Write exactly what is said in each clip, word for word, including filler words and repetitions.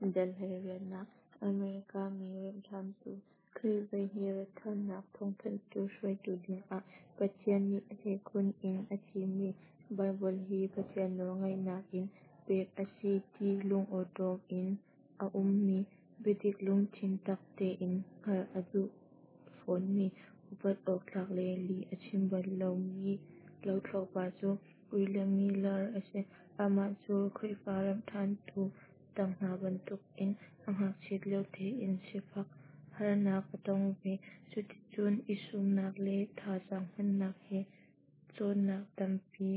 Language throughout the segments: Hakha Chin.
Dal hleiriatnak America mi remhṭhantu, Khrih voihnih ratṭhannak thawngthanhtu hruaitu dingah Pathian nih a hleikhun in a thimmi, Baibal hi Pathian nawlngeihnak in pek a si ti lungawṭawm in a ummi, biadik lungthin tak tein hngalh a duh fawnmi, upat awktlak le lih a chim bal lomi lothlopa cu William Miller a si. Amah cu Khrihfa remhṭhantu dang hna bantukin a ngakchiat lio tein sifah harnak a tong ve. Cuticun i sumnak le thazaang hmannak he cawnnak tampi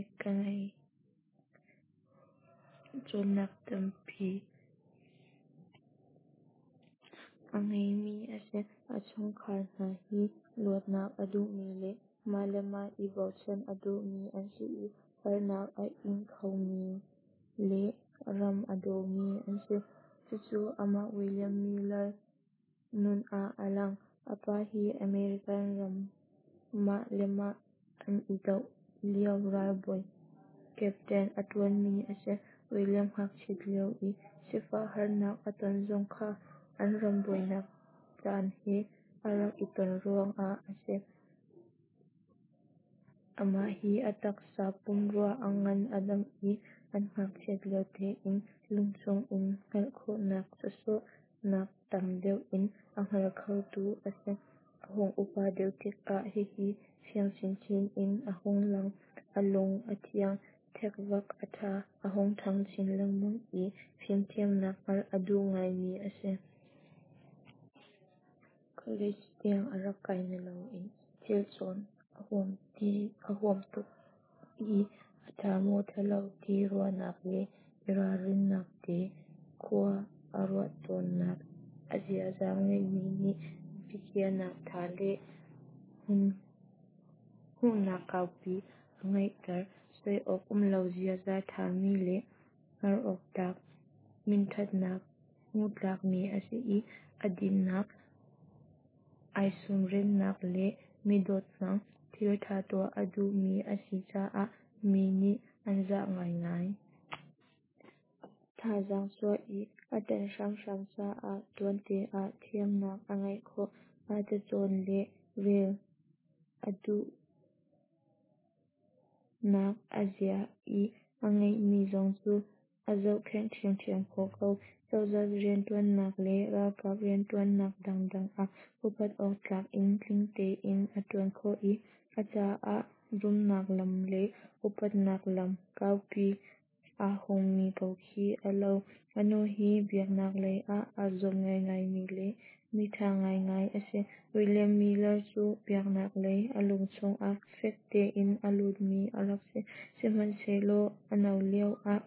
a ngeimi a si. A chungkhar hna hi luatnak a duhmi le mah le mah i bochan a duhmi an si i harnak a ing khomi le ram a dawmi an si. Cucu amah William Miller nun ah a lang. A pa hi American ram mah le mah an i doh lio ralbawi captain a ṭuanmi a si. William ngakchiat lio i sifah harnak a ton zong kha an ram buainak caan he a rak i ton ruangah a si. Amah hi a taksa pumrua a ngan a dam i an ngakchiat lio tein lungchung in hngalh khawhnak sawsawh nak tam deuh in a hngal khotu a si. A hung upa deuh tikah hihi fiang chinchin in a hung lang. A lung a thiang, thekvak a ṭha, a hung ṭhang chin lengmang i fimthiamnak hngalh a duh ngaimi a si. College tiang a rak kai naloin thil cawn a huam tuk i a ṭha maw ṭhalo ti ruahnak le i ralrinnak te khua a ruah tawnnak a ziaza ngeihmi nih biakhiahnak ṭha le hmuhnak kaupi a ngeihter. Soi awk um lo ziaza ṭhami le hngar awktlak minṭhatnak hmu tlakmi a si i a dinnak, ai sumrennak le mi dawt hmang, thilṭha tuah a duhmi a si caah mi nih an zah ngaingai. Thazaang chuah i a ṭan hramhram caah tuante ah thiamnak a ngeih khawh. Cacawn le rel a duhnak a zia i a ngeihmi zong cu a zohkhenh ṭhiamṭhiam khawh ko. Cozah rianṭuannak le ralkap rianṭuannak dangdang ah upat awktlak in tling tein a ṭuan khawh i a caah rumnak lam le upatnak lam kaupi aa hongmi ko khi a lo. A nu hi biaknak lei ah aa zuam ngaingaimi le miṭha ngaingai a si. William Miller cu biaknak lei a lungchung ah fek tein a lutmi a rak si. Sihmanhsehlaw a no lioah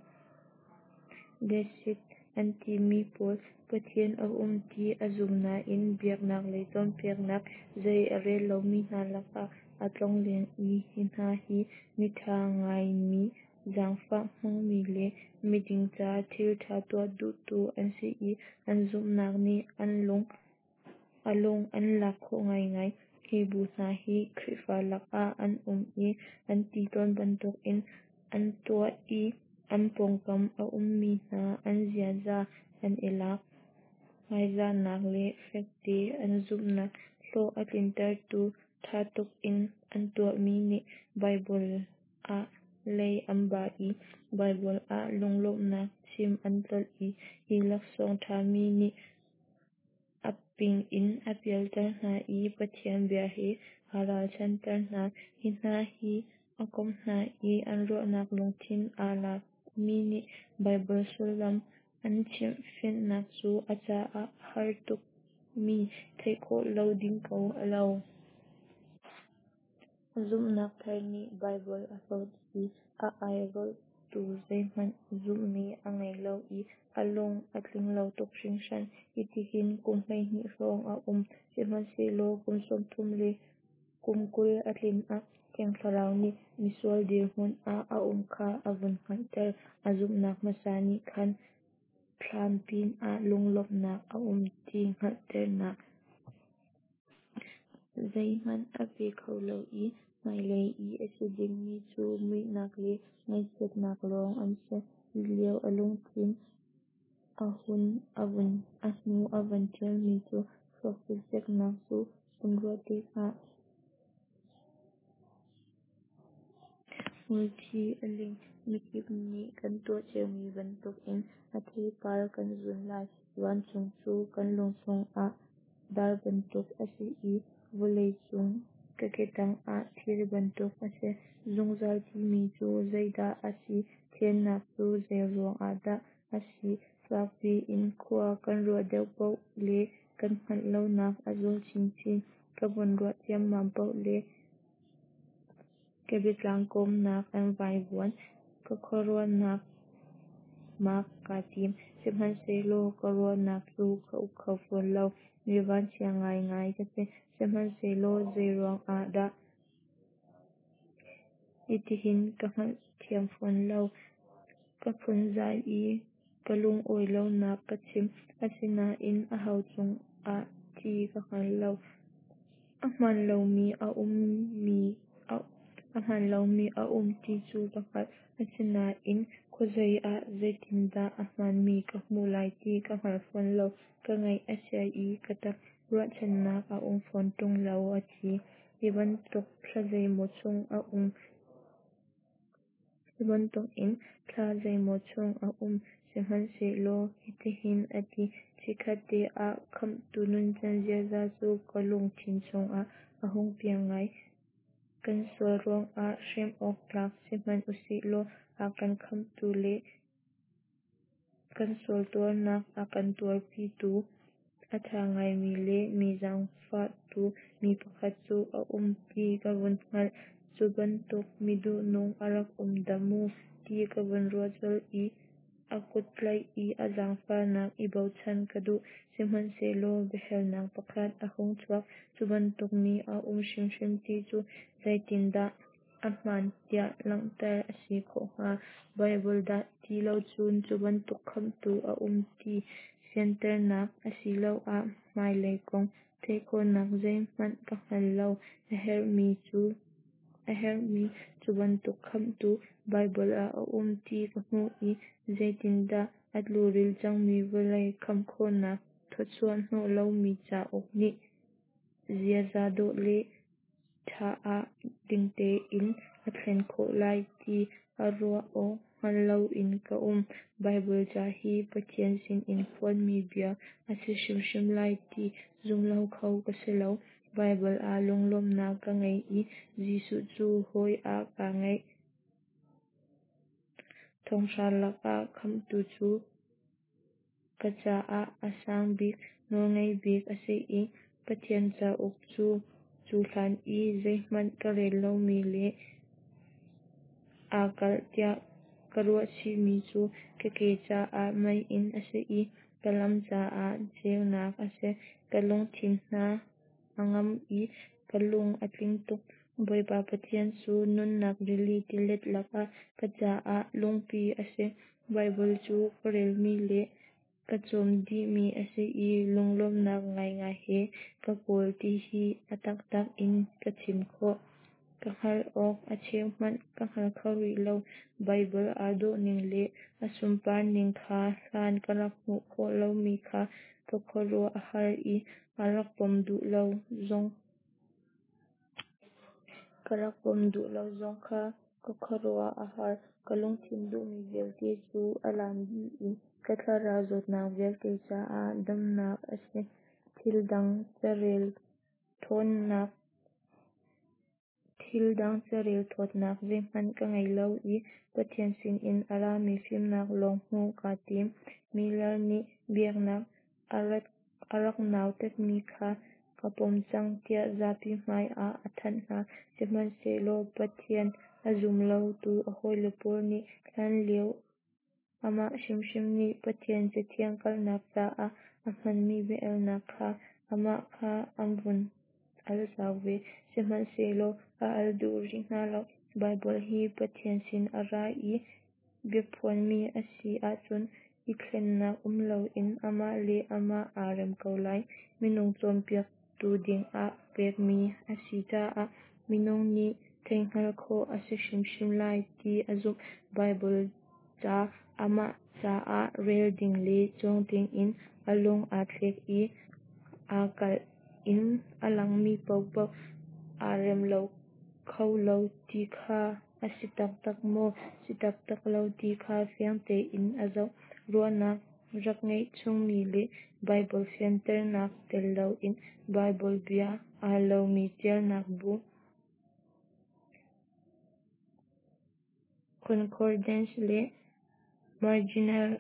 Deist an timi pawl, Pathian a um ti a zum nain biaknak lei cawnpiaknak zei a rel lomi hna lakah a tlongleng i hi hna hi miṭha ngaimi, zaangfah hmangmi le miding ca thilṭha tuah duhtu an si i an zumhnak nih a lung an lak khawh ngaingai. Hi bu hna hi Khrihfa lakah an um i an ti tawn bantukin an tuah i an pawngkam a ummi hna an ziaza an i lak. Hmaizahnak le fekte an zumhnak hlawh a tlintertu ṭha tuk in an tuahmi nih Baibal ah lei an ba i Baibal ah lunglawmhnak chim an tlolh i hi laksawng ṭhami nih a ping in a pialter hna i Pathian bia he aa ralchanhter hna. Hi hna he a komh hna i an ruahnak lungthin aa lakmi nih Baibal sullam an chimhfinnak cu a caah a har tukmi theih khawh lo ding ko a lo. A zumhnak thar nih Baibal a hlawt i a airolhtu zeihmanh zumhmi a ngei lo i a lung a tling lo tuk hringhran. Hitihin kum hleihnih hrawng a um. Sihmanhsehlaw kum sawmthum le kum kul a tlin ah Thiang Thlarau nih misual dirhmun ah a um kha a vun hngalhter. A zumhnak hmasa nih khan thlan pinah lunglawmhnak a um ti hngalhternak zeihmanh a pe kho lo i hmailei i a si dingmi cu muihnak le ngaihchiatnak lawng an si. Hi lio a lungthin A hnu a vun ṭialmi cu "Thluak cikceknak cu vun ruah tikah hmulthi a ling. Mikip nih kan tuah ciomi bantukin a theipar kan zun lai. Vancung cu kan lungchung ah dar bantuk a si i vawlei cu ka ketang ah thir bantuk a si. Zungzal timi cu zeidah a si? Thiannak cu zeiruang ahdah a si? Fakpi in khua kan ruah deuh paoh le kan hngalh lonak a zual chinchin. Ka vun ruah ciammam paoh le ka biatlang kawmnak an vaivuan. Ka khuaruahnak mak kaa tim. Sihmanhsehlaw ka ruahnak cu ka uk kho fawn lo. Mi vanchia ngaingai ka si. Sihmanhsehlaw zeiruang ahdah hitihin ka hngalthiam fawn lo. Ka phunzai i ka lungawi lonak ka chim. Asinain aho cungah ti ka hngal lo. A hmaan lomi a um ti cu ka hngalh. Asinain khuazei ah zeitindah a hmaanmi ka hmuh lai ti ka hngal fawn lo. Ka ngaih a chia i ka ṭap. Ruahchannak a um fawn ṭung lo," a ti. Hi bantuk thla zeimaw chung a um. Hi bantukin thla zeimaw chung a um. Sihmanhsehlaw hitihin a ti: "Chikkhat te ah Khamhtu nuncan ziaza cu ka lungthin chungah a hung piang ngai. Kan sual ruangah hrem awk tlak si hmanh usihlaw a kan khamhtu le kan sual tuarnak a kan tuarpitu a ṭha ngaimi le mi zaangfahtu mi pakhat cu a um ti ka vun hngalh. Cu bantuk mi duhnung a rak um dah mu ti ka vun ruah colh i a kut tlaih i a zaangfahnak i bochan ka duh. Sihmanhsehlaw biahalnak pakhat a hung chuak. Cu bantuk mi a um hrimhrim ti cu zeitindah a hmaan tiah langhter a si khawh hnga? Baibal dah ti lo cun cu bantuk Khamhtu a um ti fianternak asiloah hmailei kong theih khawhnak zeihmanh ka hngal lo. A herhmi cu bantuk Khamhtu Baibal ah a um ti ka hmuh i zeitindah a tluril cangmi vawlei khamh khawhnak thawchuah hnawh lomi cauk nih ziaza dawh le ṭha ah ding tein a thlen khawh lai ti a ruah awk hngal loin ka um. Baibal ca hi Pathian sinin phuanmi bia a si hrimhrim lai ti zum lo kho ka si lo. Baibal ah lunglawmhnak ka ngei i Jesuh cu hawi ah kaa ngeih. Thonghra lakah Khamhtu cu ka caah a sang bik, nawlngei bik a si i Pathian cauk cu cu hlan i zeihmanh ka rel lomi le aa kalh tiah ka ruahchihmi cu ka ke caah meiinn a si i ka lam caah ceunak a si. Ka lungthin hna a ngam i ka lung a tling tuk. Bawipa Pathian cu nunnak rili tilet lakah ka caah lungpi a si. Baibal cu ka relmi le ka cawm dihmi a si i lunglawmhnak ngaingai he ka kawl ti hi a taktak in ka chim khawh. Ka hngalh awk a cheu hmanh ka hngal kho rih lo. Baibal aa dawhning le a sunparning kha hlan ka rak hmuh khawh lomi kha ka khuaruah a har i ka rak pom duh lo zong ka rak pom duh lo zong kha ka khuaruah a har. Ka lungthin duhmi vialte cu a lan dih i ka thlarau zawtnak vialte caah damnak a si. Thil dang carel ṭhawnnak Thil dang carel thawtnak zeihmanh ka ngei lo i Pathian sinin a rami fimnak lawng hmuh kaa tim. Miller nih biaknak a rak nautatmi kha ka pom cang tiah zapi hmai ah a thanh hna. Sihmanhsehlaw Pathian a zum lotu a hawile pawl nih hlanlio amah hrimhrim nih Pathian Cathiang kalhnak caah a hmanmi bia-alnak kha amah kha an vun al zau ve. Sihmanhsehlaw a al duh rih hna lo. Baibal hi Pathian sin a ra i biaphuanmi a si ahcun i thlennak um loin amah le amah aa rem ko lai. Minung cawnpiaktu dingah pekmi a si caah minung nih theihhngalh khawh a si hrimhrim lai ti a zumh. Baibal ca amah caah rel ding le cawng dingin a lung aa thlek i aa kalh in a langmi paohpaoh aa rem lo kho lo ti kha a si taktak maw si taktak lo ti kha fiang tein a zoh. Ruahnak rak ngeih chungmi le Baibal fianternak tel loin Baibal bia aa lomi ṭialnak bu concordance le marginal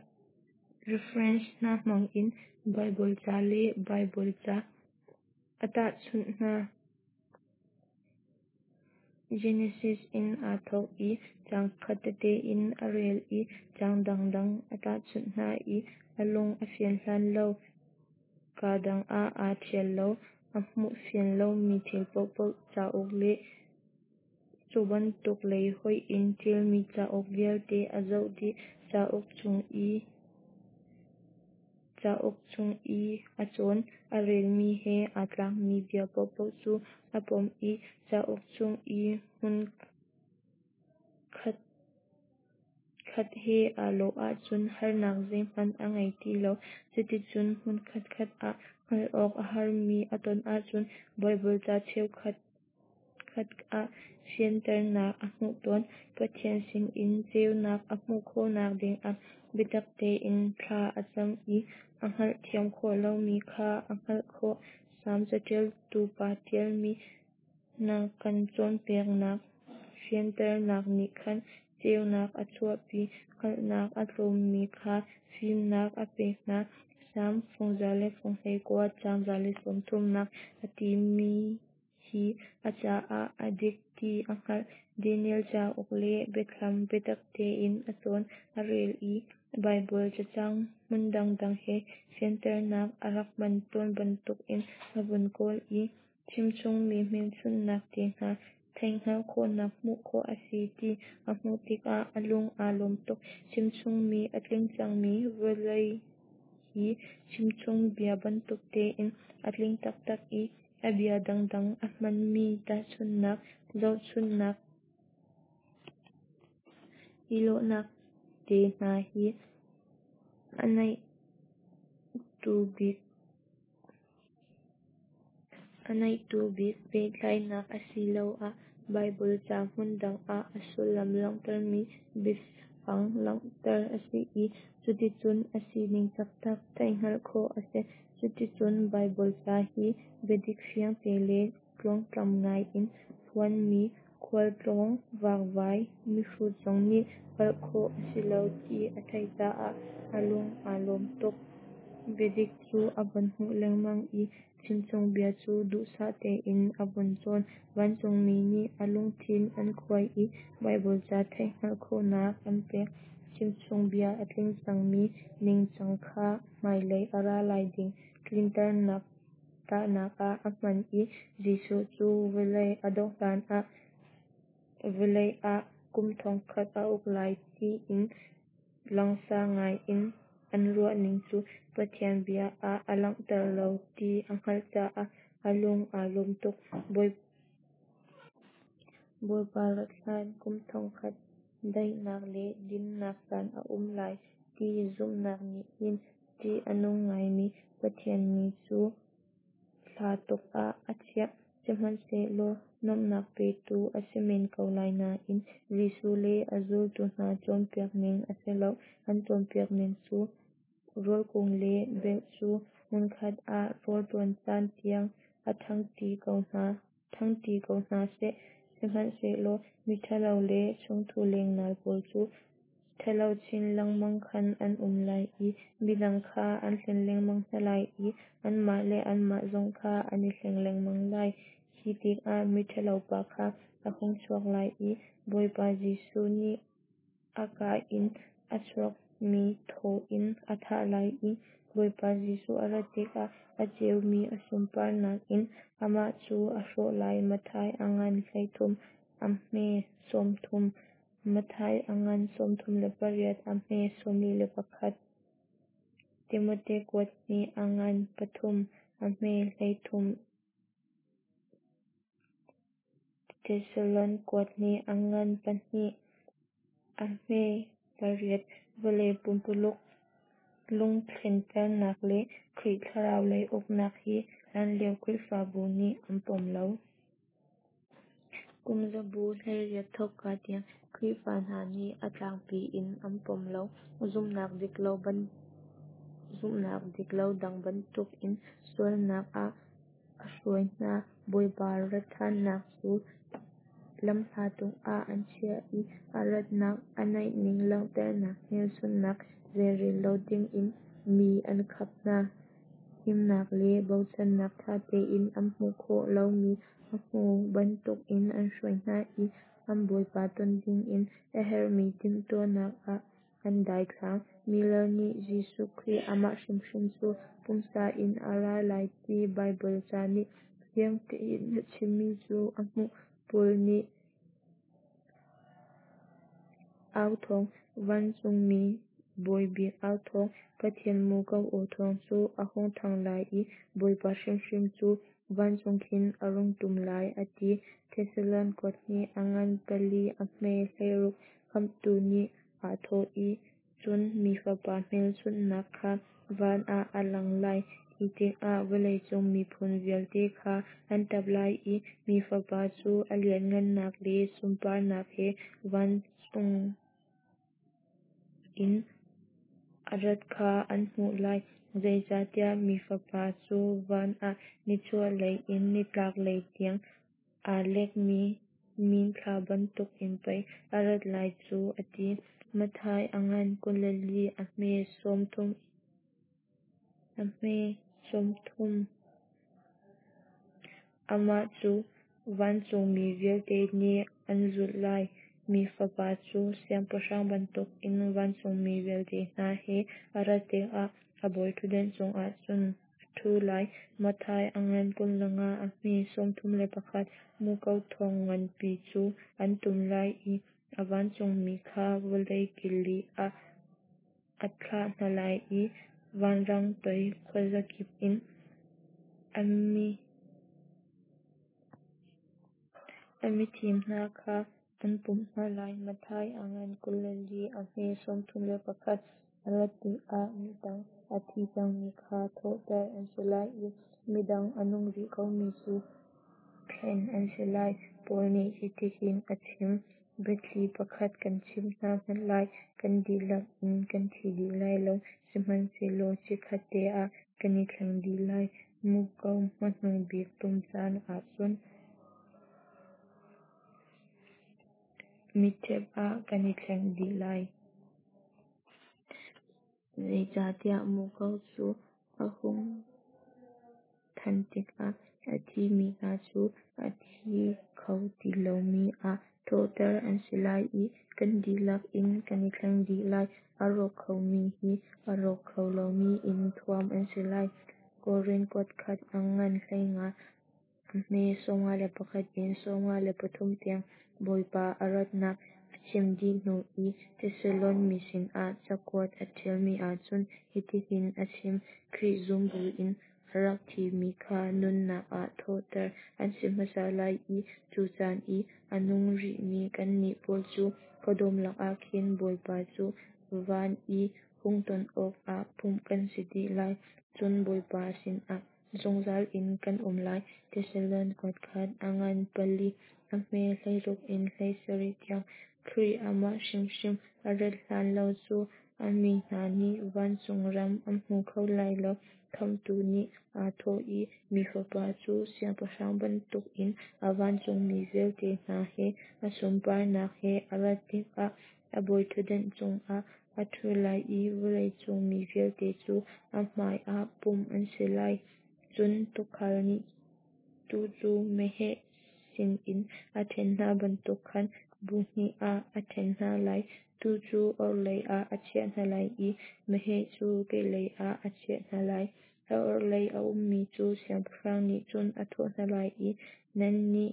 reference hna hmang in Baibal ca le Baibal ca a tahchunh hna. Genesis in aa thawk i caang khat tete in a rel i caang dangdang a tahchunh hna i a lung a fian hlan lo kaa dang ah aa ṭhial lo. A hmuh fian lomi thil paohpaoh cauk le cu bantuk lei hoih in ṭialmi cauk vialte a zoh dih. Cauk chung i cauk chung i a cawn, a relmi he aa tlakmi bia paohpaoh cu a pom i cauk chung i hmun khatkhat he aa lawh ahcun harnak zeihmanh a ngei ti lo. Cuticun hmun khatkhat ah hngalh awk a harmi a ton ahcun Baibal ca cheukhat khat ah fianternak a hmuh tawn. Pathian sinin ceunak a hmuh khawhnak dingah biatak tein thla a cam i a hngalhthiam khawh lomi kha a hngalh khawh. Salm caṭialtu pa ṭialmi Na kan cawnpiaknak fianternak nih khan ceunak a chuahpi, hngalhnak a tlawmmi kha fimnak a pek hna. Salm fung za le fung hleikua, caang za le sawm thumnak a timi hi a caah a dik ti a hngalh. Daniel cauk le Biathlam biatak tein a cawn, a rel i Baibal cacang hmun dangdang he fianternak a rak hman tawn bantukin a vun kawl i chimchungmi hmelchunhnak te hna theihhngalh khawhnak hmuh khawh a si ti a hmuh tikah a lung aa lawm tuk. Chimchungmi a tling cangmi vawlei hi chimchung bia bantuk tein a tling taktak i a bia dangdang a hmanmi tahchunhnak, zohchunhnak, i lawhnak te hna hi a naih bik pehtlaihnak asiloah Baibal ca hmun dang ah a sullam langhtermi biafang langhter a si i cuticun a sining taktak theihhngalh khawh a si. Cuticun Baibal ca hi biadik fiangte le tluangtlam ngai in phuanmi khualtlawng vakvai mihrut zong nih palh khawh a si lo ti a theih caah a lung aa lawm tuk. Biadik cu a vun hmuh lengmang i chimchungbia cu duhsah tein a vun cawn. Vancungmi nih a lungthin an khuai i Baibal ca theihhngalh khawhnak an pek. Chimchungbia a tling cangmi ningcang kha hmailei a ra lai ding tlinternak tahnak ah a hman i Jesuh cu vawlei a dongh hlanah vawlei ah kum thongkhat a uk lai tiin langsa ngai in an ruahning cu Pathian bia ah a langhter lo ti a hngalh caah a lung aa lawm tuk. Bawipa rat hlan kum thongkhat daihnak le dinnak caan a um lai ti zumhnak nih hin ṭih a nung ngaimi Pathian ni cu hla tuk ah a chiah. Sihmanhsehlaw nuamhnak petu a si men ko lai nain Jesuh le a zultu hna cawnpiak ning a si lo. An cawnpiak ning cu rawl kung le belh cu hmunkhat ah rawlṭuan caan tiang a ṭhangṭi ko hna seh, sihmanhsehlaw miṭhalo le chungthu lengnal pawl cu ṭhalo chin lengmang khan an um lai i midang kha an hlen lengmang hna lai i anmah le anmah zong kha an i hleng lengmang lai. Khi tikah miṭhalopa kha a hung chuak lai i Bawipa Jesuh nih a kaa in a chuakmi thaw in a thah lai i Bawipa Jesuh a rat tikah a ceumi a sunparnak in amah cu a hrawh lai. Matthai a ngan hleithum a hme sawmthum, Matthai a ngan sawmthum le pariat a hme sawmli le pakhat, Timote kuat hnih a ngan pathum a hme hleithum, Thesalon kuat hnih a ngan pahnih a hme Pariat. Vawlei pumpululuk lungthlenternak le Khrih thlarau lei uknak hi hlanlio Khrihfabu nih an pom lo. Kum zabu hleiriat thawkka tiang Khrihfa hna nih a tlangpi in an pom lo. Zumhnak diklo dang bantukin sualnak ah a hruai hna. Bawipa ratṭhannak cu lamhla tuk ah an chiah i a ratnak a naihning langhternak hmelchunhnak zeirel lo dingin mi an khap hna. Himnak le bochannak ṭha tein an hmuh khawh lomi a hmu bantukin an hruai hna i an Bawipa ton dingin a herhmi timhtuahnak ah an daithlang. Miller nih Jesuh Khrih amah hrimhrim cu pumsa in a ra lai ti Baibal ca nih fiang tein a chimmi cu a hmuh. Paul nih authawng, vancungmi bawibik authawng, Pathian muko aw thawng cu a hung thang lai i Bawipa hrimhrim cu vancung khin a rung ṭum lai, a ti. Thesalon kuathnih a ngan pali a hme hleiruk. Khamhtu nih aa thawh i, Cun Mi Fapa hmelchunhnak kha van ah a lang lai. Khi tikah vawleicung miphun vialte kha an ṭap lai i Mi Fapa cu a lianhngannak le sunparnak he vancung in a rat kha an hmuh lai. Zeicahtiah Mi Fapa cu van ah nichuahlei in nitlaklei tiang aa lekmi minthla bantukin pei a rat lai cu, a ti. Matthai a ngan kul le li a hme sawmthum. Amah cu vancungmi vialte nih an zulh lai. Mi Fapa cu siangpahrang bantukin vancungmi vialte hna he a rat tikah a bawiṭhutdan cungah cun a ṭhu lai. Matthai a ngan kul le nga a hme sawmthum le pakhat. Muko thawng nganpi cu an tum lai i a vancungmi kha vawlei kil li ah a thlah hna lai i vanrang toi khuazakip in a mithim hna kha an pumh hna lai. Matthai a ngan kul le li a hme sawmthum le pakhat. A rat tikah midang a thi cangmi kha thawhter an si lai i midang a nung rih komi cu thlen an si lai. Paul nih hitihin a chim, biathli pakhat kan chimh hna hmanh lai, kan dihlak in kan thi dih lai lo, sihmanhsehlaw chikkhatte ah kan i thleng dih lai. Muko hmanung bik tum caan ah cun mitṭhep ah kan i thleng dih lai. Zeicahtiah muko cu a hung than tikah a thimi hna cu a thi kho ti lomi ah thawhter an si lai i kan dihlak in kan i thleng dih lai. A rawk khomi hi a rawk kho lomi in thuam an si lai. Korin kuatkhat a ngan hleinga a hme sawmnga le pakhat in sawmnga le pathum tiang. Bawipa a ratnak a chim dih hnu i Thesalon mi sinah cakuat a ṭialmi ahcun hitihin a chim, Khrih zum buin a rak thimi kha nunnak ah thawhter an si hmasa lai i cu caan i a nung rihmi kannih pawl cu khuadawm lakah khin Bawipa cu van i hung ton awkah pumh kan si dih lai. Cun Bawipa sinah zungzal in kan um lai. Thesalon kuatkhat a ngan pali a hme hleiruk in hleisarih tiang. Khrih amah hrimhrim a rat hlan lo cu a mi hna nih vancung ram an hmu kho lai lo. Khamhtu nih aa thawh i, Mi Fapa cu siangpahrang bantukin a vancungmi vialte hna he a sunparnak he a rat tikah a bawiṭhutdan cungah a ṭhu lai i vawleicung mi vialte cu a hmaiah pumh an si lai. Cun tuukhal nih tuu cu meheh sinin a ṭhen hna bantuk khan bu hnih ah a ṭhen hna lai. Tuu cu orhlei ah a chiah hna lai i meheh cu kehlei ah a chiah hna lai. A orhlei a ummi cu siangpahrang nih cun a thawh hna lai i, Nannih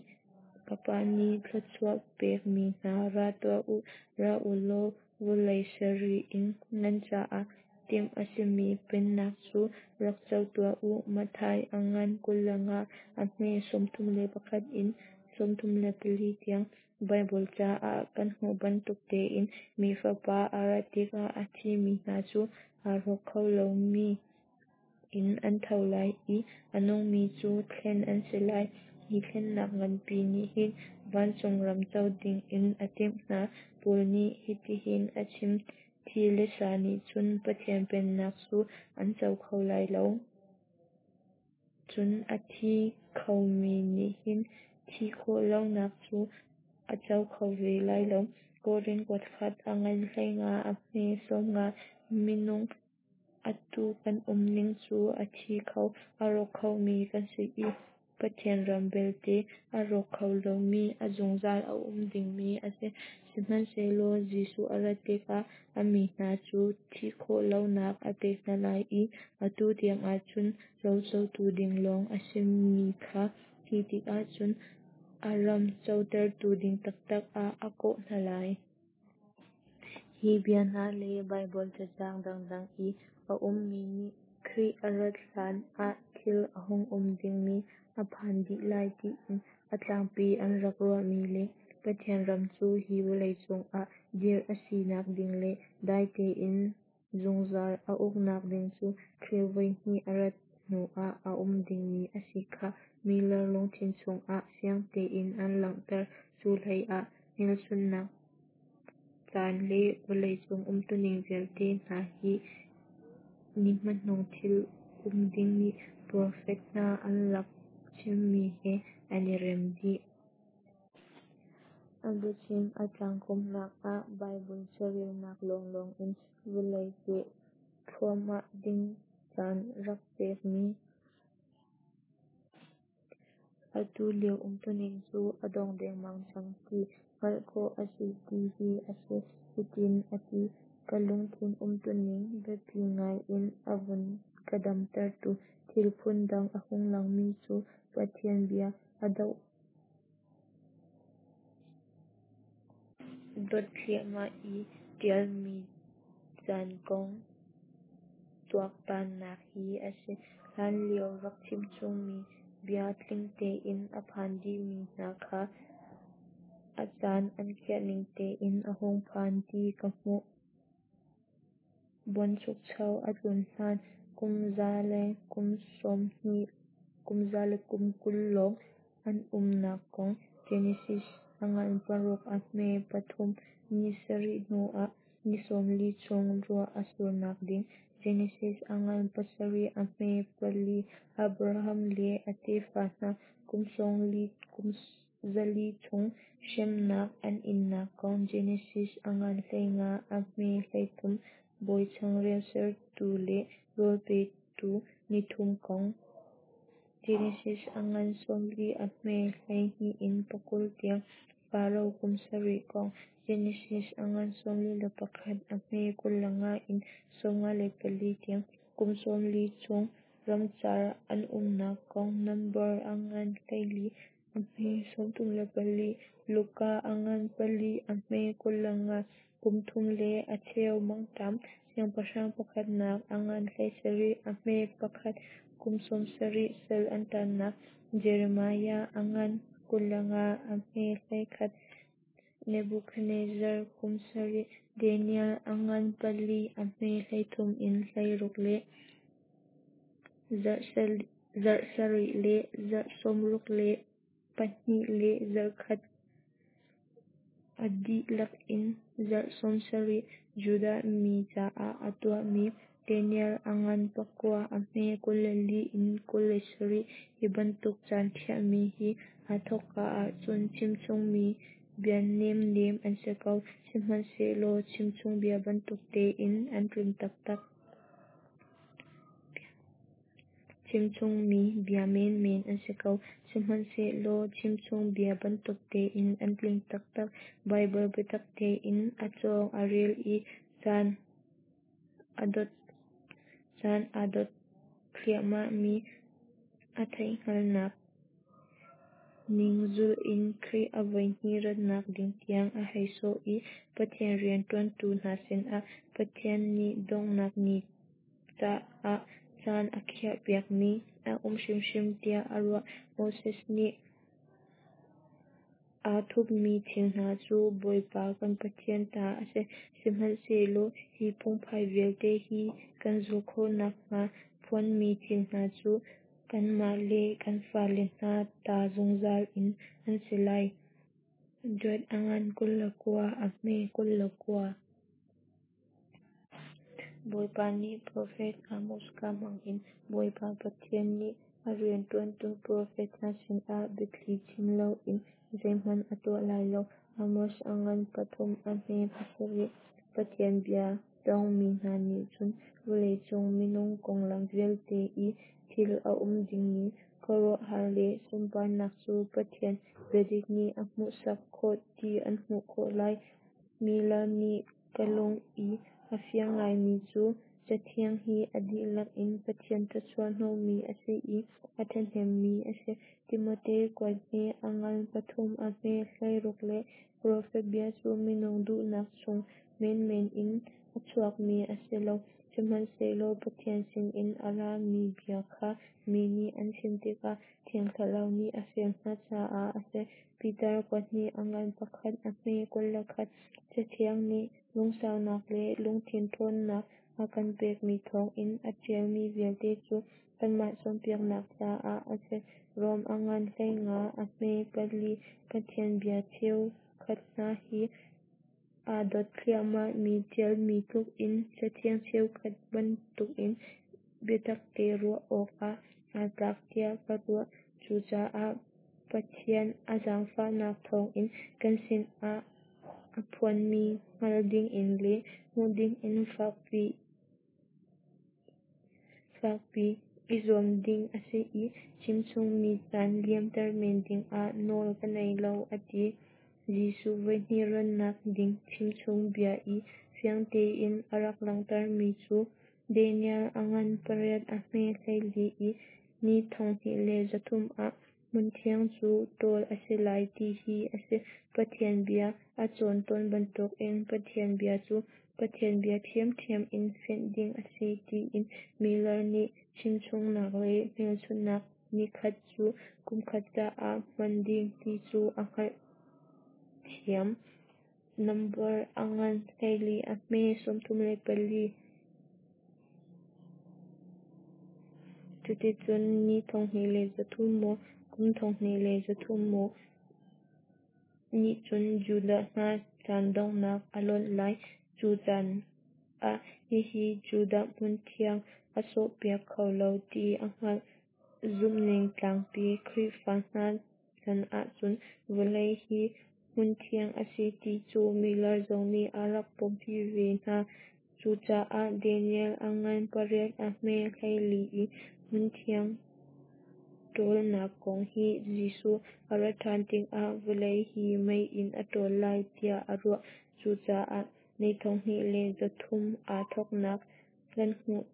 ka Pa nih thluachuah pekmi hna, ra tuah u, ra u law vawlei ser ri in nan caah timh a simi pennak cu rak co tuah u. Matthai a ngan kul le nga a hme sawmthum le pakhat in sawmthum le pali tiang. Baibal ca ah kan hmuh bantuk tein Mi Fapa a rat tikah a thimi hna cu aa rawk kho lomi in an tho lai i a nungmi cu thlen an si lai. Hi thlennak nganpi nih hin vancung ram co dingin a timh hna. Paul nih hitihin a chim, Thi le sa nih cun Pathian pennak cu an co kho lai lo. Cun a thi khomi nih hin thih khawh lonak cu a co kho ve lai lo. Korin kuakhat a ngan hleinga a hme sawmnga. Minung atu kan umning cu a thi kho, a rawk khomi kan si i Pathian ram belte a rawk kho lomi, a zungzal a um dingmi a si. Sihmanhsehlaw Jesuh a rat tikah a mi hna cu thih khawh lonak a pek hna lai i atu tiang ahcun rocotu ding lawng a simi kha khi tikah cun a ram cotertu ding taktak ah a kawh hna lai. Hi bia hna le Baibal cacang dangdang i a ummi nih Khrih a rat hlan ah thil a hung um dingmi a phan dih lai tiin a tlangpi an rak ruahmi le Pathian ram cu hi vawleicung ah dirh a sinak ding le dai tein zungzal a uknak ding cu Khrih voihnih a rat hnu ah a um dingmi a si kha Miller lungthin chungah fiang tein an langhter. Cu hlei ah hmelchunhnak caan le vawleicung umtuning vialte hna hi ni hmanung thil um ding nih profet hna an rak chimmi he an i rem dih. A biachim a tlangkawmnak ah Baibal carelnak lawnglawng in vawlei peh thluahmah ding caan rak pekmi atu lio umtuning cu a dong dengmang cang ti hngalh khawh a si ti hi a si. Hitin a ti: Ka lungthin umtuning biapi ngai in a vun ka damtertu thil phun dang a hung langmi cu Pathian bia a dot thliahmah i ṭialmi caan kong tuaktannak hi a si. Hlanlio rak chimchungmi bia tling tein a phan dihmi hna kha a caan an khiahning tein a hung phan ti ka hmuh. Buanchukcho a tlun hlan kum za le kum sawm hnih kum za le kum kul lawng an umnak kong, Genesis a ngan paruk a hme pathum, ni sarih hnu ah ni sawmli chung ruah a surnak ding, Genesis a ngan pasarih a hme pali, Abraham le a tefa hna kum sawmli kum zali chung hremnak an innak kong, Genesis a ngan hleinga a hme hleithum, bawi changreu sertu le rawl petu nithum kong, Genesis a ngan sawmli a hme hleihnih in pakul tiang, Faro kum sarih kong, Genesis a ngan sawmli le pakhat a hme kul le nga in sawmnga le pali tiang, kum sawmli chung ramcar an umnak kong, Nambar a ngan hleili a hme sawmthum le pali, Luka a ngan pali a hme kul le nga, kum thum le a cheu mangṭam, Siangpahrang pakhatnak a ngan hleisarih a hme pakhat, kum sawmsarih sal an taannak, Jeremiah a ngan kul le nga a hme hleikhat, Nebukhadnezzar kum sarih, Daniel a ngan pali a hme hleithum in hleiruk le zarh sarih le zarh sawmruk le pahnih le zarhkhat a dihlak in zarh sawmsarih Judah mi caah a tuahmi, Daniel a ngan pakua a hme kul le li in kul le sarih. Hi bantuk caan khiahmi hi aa thawkka ahcun chimchungmi bia nemnem an si ko, sihmanhsehlaw chimchungbia bantuk tein an tling taktak. Chimchungmi bia menmen an si ko, sihmanhsehlaw chimchungbia bantuk tein an tling taktak. Baibal biatak tein a cawng a rel i caan a dot caan a dot thliahmahmi a theihhngalhnak ning zulh in Khrih a voihnih ratnak ding tiang a hei sawh i Pathian rianṭuantu hna sinah Pathian nih donghnak ni caah caan a khiahpiakmi a um hrimhrim tiah a ruah. Moses nih Aa thupmi thil hna cu Bawipa kan Pathian ta a si, sihmanhsehlaw hi phungphai vialte hi kan zulh khawh nakhnga phuanmi thil hna cu kanmah le kan fale hna ta zungzal in an si lai. Dot a ngan kul le kua, a hme kul le kua. Bawipa nih profet Amos kaa hmangin, Bawipa Pathian nih a rianṭuantu profet hna sinah biathli chim loin zeihmanh a tuah lai lo. Amos a ngan pathum a hme pasarih. Pathian bia tawngmi hna nih cun vawleicung minung konglam vialte i thil a um dingmi khuaruahhar le sunparnak cu Pathian biadik nih a hmuhsak khawh ti an hmuh khawh lai. Miller nih ka lung i a fiang ngaimi cu Cathiang hi a dihlak in Pathian thawchuah hnawhmi a si i a ṭhahnemmi a si. Timote kuat hnih a ngan pathum a hme hleiruk le profet bia cu minung duhnak chung menmen in a chuakmi a si lo, sihmanhsehlaw Pathian sinin a rami bia kha mi nih an chim tikah Thiang Thlarau nih a fial hna caah a si. Piter kuat hnih a ngan pakhat a hme kul le khat. Cathiang nih lungsaunak le lungthin ṭhawnnak a kan pekmi thawngin a ṭialmi vialte cu kanmah cawnpiaknak caah a si. Rom a ngan hleinga a hme pali. Pathian bia cheukhat hna hi aa dot thliahmahmi ṭialmi tlukin Cathiang cheukhat bantukin biatakte ruah awkah aa tlak tiah ka ruah. Cucaah Pathian a zaangfahnak thawngin kan sinah a phuanmi hngalh dingin le hmuh dingin fakpi i zuam ding a si i chimchungmi caan liamter men dingah nawl ka ngei lo, a ti. Jesuh voihnih rannak ding chimchung bia i fiang tein a rak langhtermi cu Daniel a ngan pariat a hme hleili i ni thonghnih le zathum ah hmunthiang cu ṭawl a si lai ti hi a si. Pathian bia a cawn tawn bantukin Pathian bia cu Pathian bia ṭhiamṭhiam in fianh ding a si tiin Miller nih chimchungnak le hmelchunhnak nikhat cu kumkhat caah hman ding ti cu a hngalhthiam. Nambar a ngan hleili a hme sawmthum le pali. Cuticun ni thonghnih le zathum maw, kum thonghnih le zathum maw nih cun Judah hna caan donghnak a lonh lai. Cu caan ah hihi Judah hmunthiang a sawhpiak kho lo ti a hngalh. Zumhning tlangpi Khrihfa hna chan ahcun vawlei hi hmunthiang a si ti cu Miller zong nih a rak pompi ve hna. Cucaah Daniel a ngan pariat a hme hleili i hmunthiang ṭawlnak kong hi Jesuh a rat ṭhan tikah vawlei hi mei in a ṭawl lai tiah a ruah. Cucaah ni thonghnih le zathum aa thawknak kan hmuh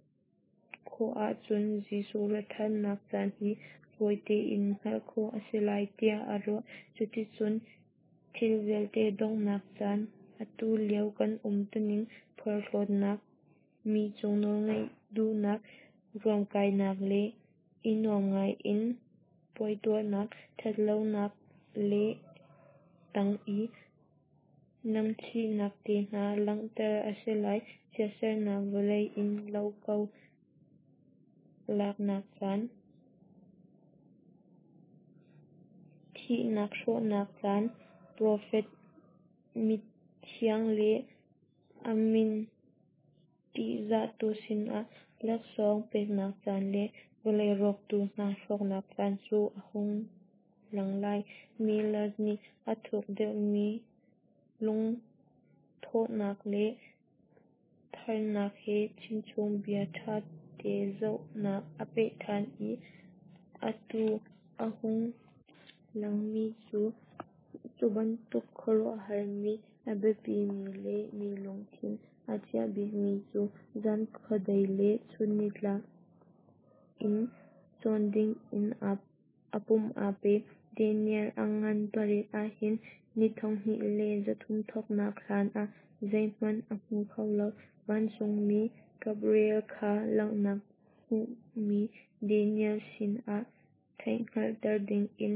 khawh ahcun Jesuh rat ṭhannak caan hi fawi tein hngalh khawh a si lai tiah a ruah. Cuticun thil vialte donghnak caan, atu lio kan umtuning, porhlawtnak, mi cung nawlngeih duhnak, ruamkainak le i nuam ngaiin puai tuahnak, ṭhatlonak le tang i namchihnak te hna langhter a si lai. Chiatsernak vawlei in lo ko laknak caan, thihnak hrawhnak caan, profet mithiang le a min ṭihzahtu sinah laksawng peknak caan le vawlei rawktu hna hrawknak caan cu a hung lang lai. Miller nih a thuk deuhmi lungthawhnak le tharnak he chimchung bia ṭhate zohnak a peh ṭhan i atu a hung langmi cu cu bantuk khuaruahharmi, a biapimi le mi lungthin a ciah bikmi cu zan khuadei le chun nitlak in cawn dingin a pum aa pe. Daniel a ngan pariat ahhin ni thonghnih le zathum thawknak hlan ah zeihmanh a hmu kho lo. Vancungmi Gabriel kha langhnak hmuhmi Daniel sinah theihhngalhter dingin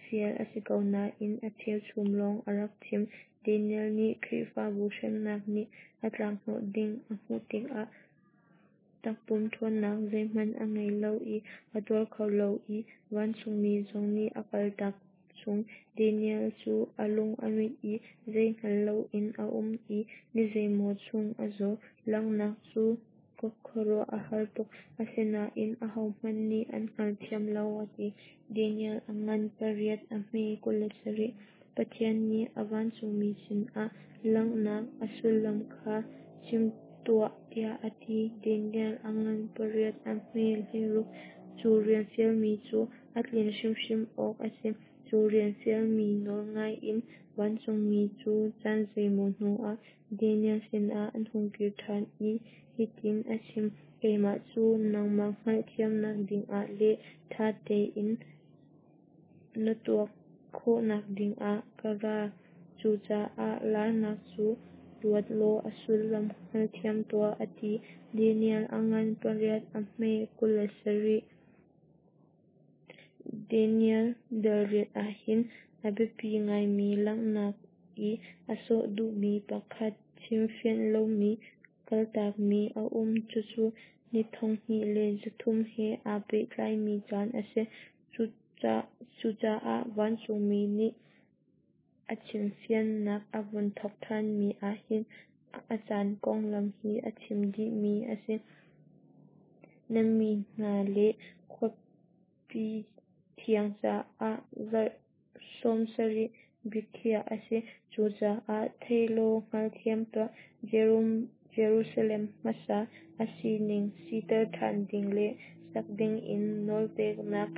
fial a si ko nain a cheuchum lawng a rak chim. Daniel nih Khrihfabu hremnak nih a tlakhnawh ding a hmuh tikah takpum ṭhawnnak zeihmanh a ngei lo i a tuar kho lo i vancungmi zong nih a kaltak chung. Daniel cu a lung a mit i zei hngal loin a um i ni zeimaw chung a zaw. Langhnak cu khuaruah a har tuk, asinain ahohmanh nih an hngalthiam lo, a ti. Daniel a ngan pariat a hme kul le sarih. Pathian nih a vancungmi sinah langhnak a sullam kha chim tuah tiah a ti. Daniel a ngan pariat a hme hleiruk. Cu rian fialmi cu a tlinh hrimhrim awk a si. Cu rian fialmi nawlngai in vancungmi cu caan zeimaw hnuah Daniel sinah an hung kir ṭhan i hitin a chim: Keimah cu nangmah hngalhthiamnak dingah le ṭha tein na tuak khawhnak dingah ka ra. Cucaah laarnak cu ruat law a sullam hngalthiam tuah, a ti. Daniel a ngan pariat a hme kul le sarih. Daniel dal riat ahhin a biapi ngaimi langhnak i a sawh duhmi pakhat chimfianh lomi kaltakmi a um. Cucu ni thonghnih le zathum he aa pehtlaimi caan a si. Cucaah vancungmi nih a chimfiannak a vun thawk ṭhanmi ahhin a caan konglam hi a chim dihmi a si. Na mi hna le khuapi thiang caah zarh sawmsarih biakhiah a si. Cucaah thei law hngalthiam tuah. Jerusalem hmasa a sining siter ṭhan ding le sak dingin nawlpeknak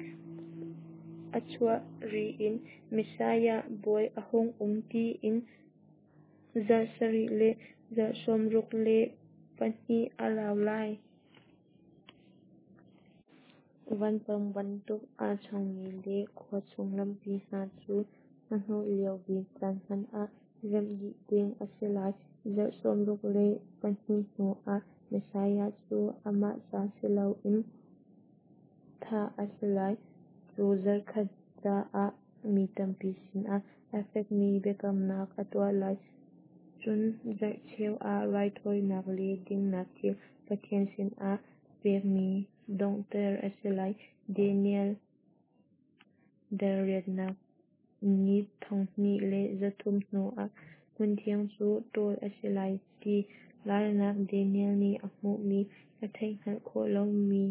a chuah ri in Messiah bawi a hung um tiin zarh sarih le zarh sawmruk le pahnih a rau lai. Vanpang bantuk aa changmi le khua chung lampi hna cu hnahnawh lio bik caan hmanh ah remh dih ding a si lai. Zarh sawmruk le pahnih hnuah Messiah cu amah ca si loin thah a si lai. Cu zarhkhat caah mi tampi sinah a fekmi biakamnak a tuah lai. Cun zarhcheu ah raithawinak le dinnak thil Pathian sinah pekmi donghter a si lai. Daniel dal riatnak Ni thonghnih le zathum hnuah hmunthiang cu ṭawl a si lai ti laarnak Daniel nih a hmuhmi a theihhngalh khawh lomi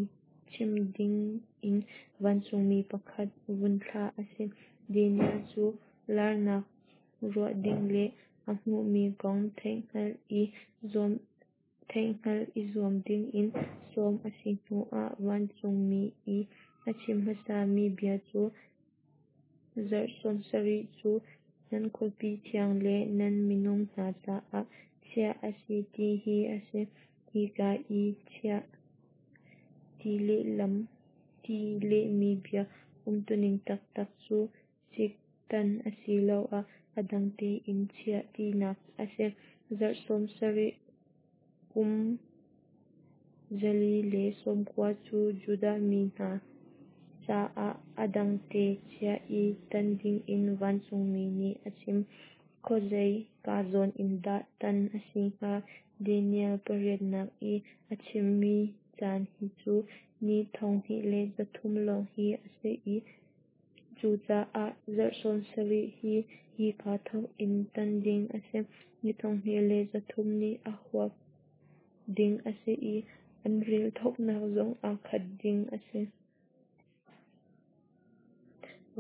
chim dingin vancungmi pakhat vun thlah a si. Daniel cu laarnak ruah ding le a hmuhmi kong theihhngalh i zuam theihhngalh i zuam dingin sawm a si hnuah vancungmi i a chim hmasami bia cu zarh sawmsarih cu nan khuapi thiang le nan minung hna caah chiah a si ti hi a si. Hika i chiah ti lehlam ti lehmi bia umtuning taktak cu cik tan asiloah a dang tein chiah tinak a si. Zarh sawmsarih kum zali le sawmkua cu Judah mi hna caah a dangte chiah i tan dingin vancungmi nih a chim. Khuazei ka zawn in dah tan a si hnga? Daniel pariatnak i a chimmi caan hi cu ni thonghnih le zathum lawng hi a si i cucaah zarh sawmsarih hi hika thawk in tan ding a si. Ni thonghnih le zathum nih a huap ding a si i an rel thawknak zong aa khat ding a si.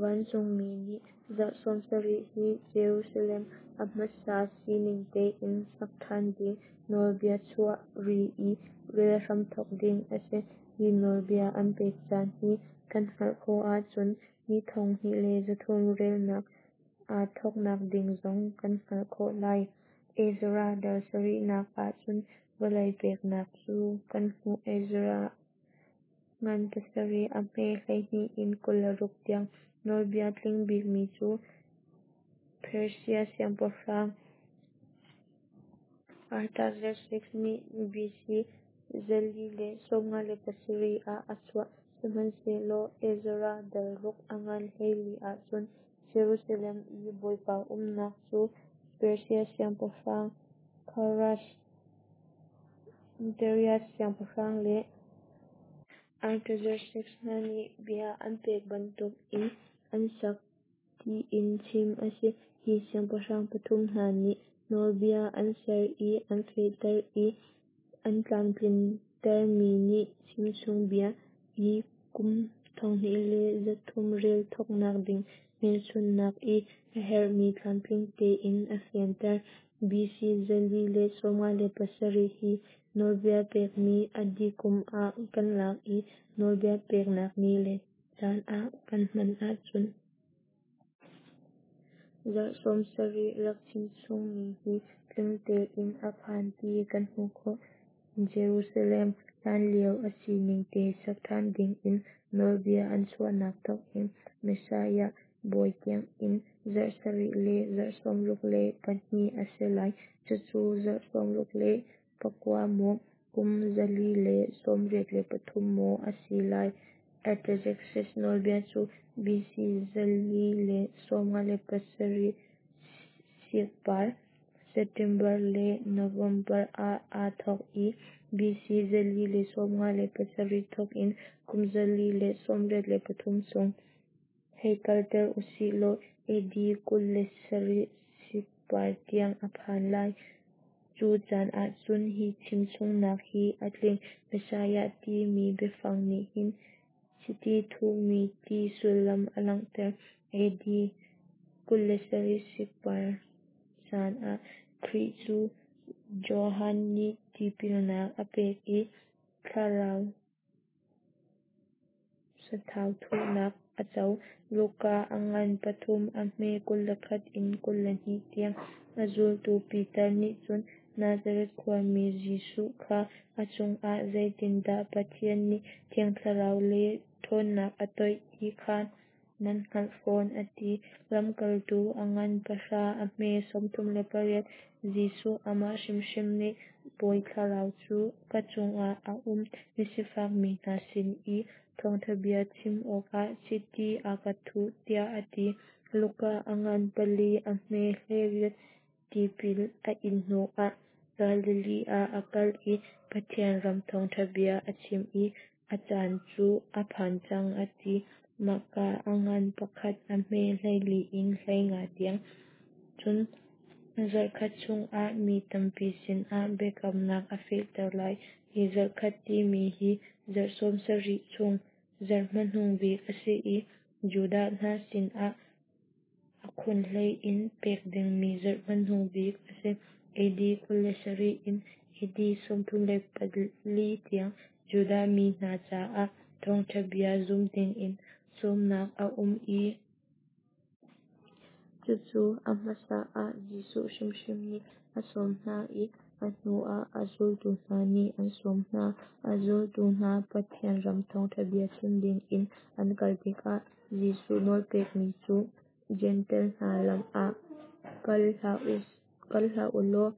Vancungmi nih zarh sawmsarih hi Jerusalem a hmasa sining tein sak ṭhan ding nawlbia chuah ri i rel hramthawk ding a si. Hi nawlbia an pek caan hi kan hngalh khawh ahcun ni thonghnih le zathum relnak aa thawknak ding zong kan hngalh khawh lai. Ezra dal sarihnak ahcun vawlei peknak cu kan hmuh. Ezra ngan pasarih a hme hleihnih in kul le ruk tiang. Nawlbia tling bikmi cu Persia siangpahrang Artaxerxes nih B C zali le sawmnga le pasarih ah a chuah. Sihmanhsehlaw Ezra dal ruk a ngan hleili ahcun Jerusalem i Bawipa umnak cu Persia siangpahrang Kharas, Darius siangpahrang le Artaxerxes hna nih bia an pek bantukin an sak tiin chim a si. Hi siangpahrang pathum hna nih nawlbia an ser i an fehter i an tlamtlintermi nih chimchungbia i kum thonghnih le zathum rel thawknak ding hmelchunhnak i a herhmi tlamtling tein a fianter. B C zali le sawmnga le pasarih hi nawlbia pekmi a dih kum ah kan lak i nawlbia peknak ni le caan ah kan hman ahcun zarh sawmsarih rak chimchungmi hi tling tein a phan ti kan hmuh khawh. Jerusalem hlanlio a sining te sak ṭhan dingin nawlbia an chuahnak thawkin Messiah bawi tiangin zarh sarih le zarh sawmruk le pahnih a si lai. Cucu zarh sawmruk le pakua maw, kum zali le sawmriat le pathum maw a si lai. Artaxerxes nawlbia cu B C zali le sawmnga le pasarih sikpar September le November ah aa thawk i B C zali le sawmnga le pasarih thawkin kum zali le sawmriat le pathum chung hei kalter usih law A D kul le sarih sikpar tiang a phan lai. Cu caan ahcun hi chimchungnak hi a tling. Messiah timi biafang nih hin chiti thuhmi ti sullam a langhter. A D kul le sarih sikpar caan ah Khrih cu Johan nih tipilnak a pek i thlarau sathau thuhnak a co. Luka a ngan pathum a hme kul le khat in kul le hnih tiang. A zultu Piter nih cun Nazareth khuami Jesuh kha a cungah zeitindah Pathian nih Thiang Thlarau le ṭhawnnak a toih ti kha nan hngalh fawn, a ti. Lamkaltu a ngan pahra a hme sawmthum le pariat. Jesuh amah hrimhrim nih Bawi Thlarau cu ka cungah a um, misifak mi hna sin i thawngṭha bia chim awkah chiti a ka thuh, tiah a ti. Luka a ngan pali a hme hleiriat. Tipil a in hnuah Galilee ah a kal i Pathian ram thawngṭha bia a chim i a caan cu a phan cang a ti. Mahka a ngan pakhat a hme hleili in hleinga tiang. Cun zarhkhat chungah mi tampi sinah biakamnak a fehter lai. Hi zarhkhat timi hi zarh sawmsarih chung zarh hmanung bik a si i Judah hna sinah a khunhlei in pek dingmi zarh hmanung bik a si. A D kul le sarih in A D sawmthum le pali tiang Judah mi hna caah thawngṭha bia zum dingin sawmnak a um i cucu a hmasa ah Jesuh hrimhrim nih a sawm hna i a hnuah a zultu hna nih an sawm hna. A zultu hna Pathian ram thawngṭha bia chim dingin an kal tikah Jesuh nawlpekmi cu Jentail hna lam ah kal hlah u law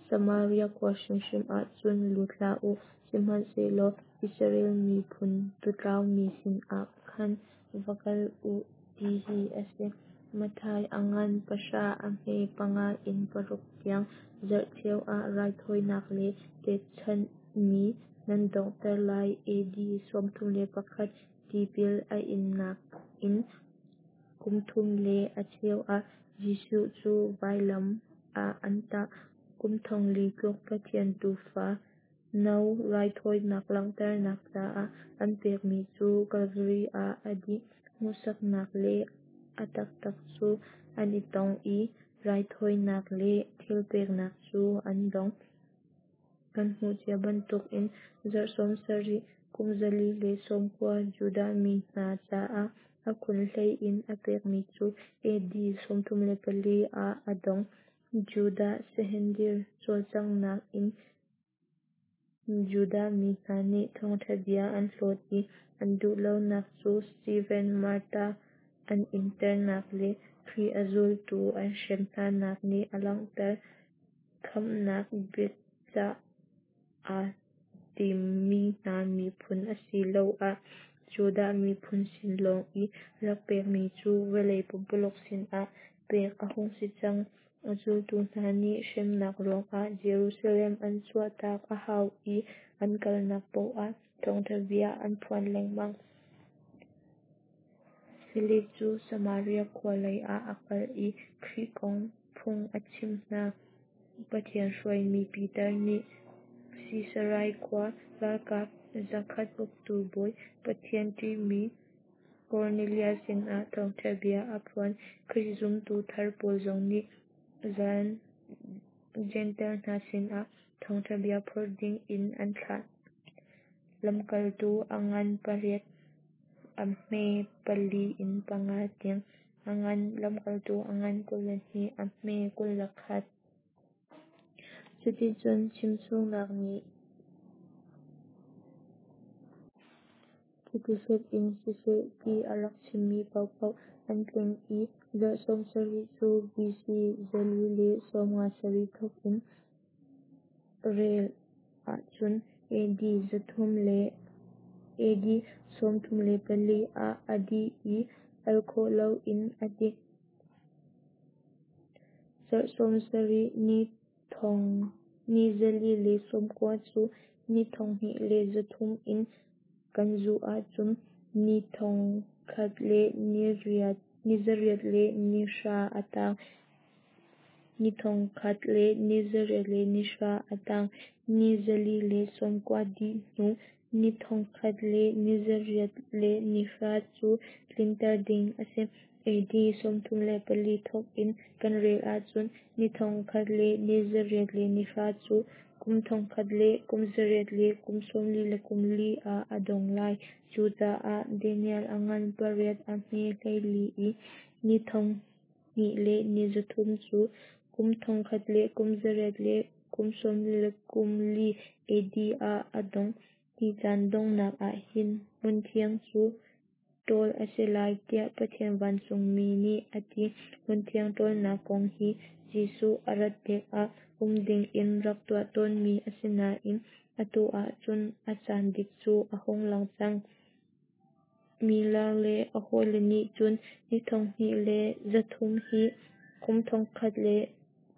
Samaria khua hrimhrim ah cun lut hlah u, sihmanhsehlaw Israel miphun tuutlaumi sinah khan va kal u, ti hi a si. Matthai a ngan pahra a hme panga in paruk tiang. Zarhcheu ah raithawinak le pekchanhmi nan donghter lai. A D sawmthum le pakhat tipil a innak in kum thum le a cheu ah Jesuh cu vailam ah an tah. Kum thongli tluk Pathian Tuufa no raithawinak langhternak caah an pekmi cu Kalvari ah a dih. Hmuhsaknak le a taktak cu an i tong i raithawinak le thilpeknak cu an dong. Kan hmuh cia bantukin zarh sawmsarih kum zali le sawmkua Judah mi hna caah a khunhlei in a pekmi cu A D sawmthum le pali ah a dong. Judah Sanhedrin cawlcanghnak in Judah mi hna nih thawngṭha bia an hlawt i an duhlonak cu Steven martar an internak le Khrih a zultu an hrem hnanak nih a langhter. Khamhnak biacah aa timmi hna miphun asiloah Judah miphun sin lawng i rak pekmi cu vawlei pumpululuk sinah pek a hung si cang. A zultu hna nih hremnak ruangah Jerusalem an chuahtak a hau i an kalnak paoh ah thawngṭha bia an phuan lengmang. Filip cu Samaria khua lei ah a kal i Khrih kong phung a chimh hna. Pathian hruaimi Piter nih Sisarai khua ralkap zakhat uktu bawi, Pathian ṭihmi Kornelias sinah thawngṭha bia a phuan. Khrih zumtu thar pawl zong nih Jentail hna sinah thawngṭha bia phor ding in an thlah. Lamkaltu a ngan pariat, a hme pali in panga tiang, a ngan lamkaltu a ngan kul le hnih, a hme kul le khat. Cuticun chimchungnak nih chiti in siseh ti a rak chimmi paohpaoh an tling i zarh sawm sarih cu B C zali le sawm nga sarih thawk in rel ahcun A D zathum le A D sawm thum le pali ah a dih i al khawh loin a dik. Zarh sawm sarih ni thong ni zali le sawm kua cu ni thong hnih le zathum in kan zuh ahcun ni thong khat le ni zariat le ni hra a tang. Ni thong khat le ni zariat le ni hra a tang. Ni zali le sawm kua dih hnu ni thong khat le ni zariat le ni hra cu tlinter ding a si. A D sawmthum le pali thawk in kan rel ahcun ni thong khat le ni zariat le ni hra cu kum thong khat le kum zariat le kum sawmli le kum li ah a dong lai. Cucaah Daniel a ngan pariat a hme hleili i ni thong hnih le ni zathum cu kum thong khat le kum zariat le kum sawmli le kum li A D ah a dong. Hi caan donghnak ah hin hmunthiang cu ṭawl a si lai, tiah Pathian vancungmi nih a ti. Hmunthiang ṭawlnak kong hi Jesuh a rat tikah um ding in rak tuah tawnmi a si nain atu ahcun a caan dik cu a hung lang cang. Miller le a hawile nih cun ni thong hnih le zathum hi kum thong khat le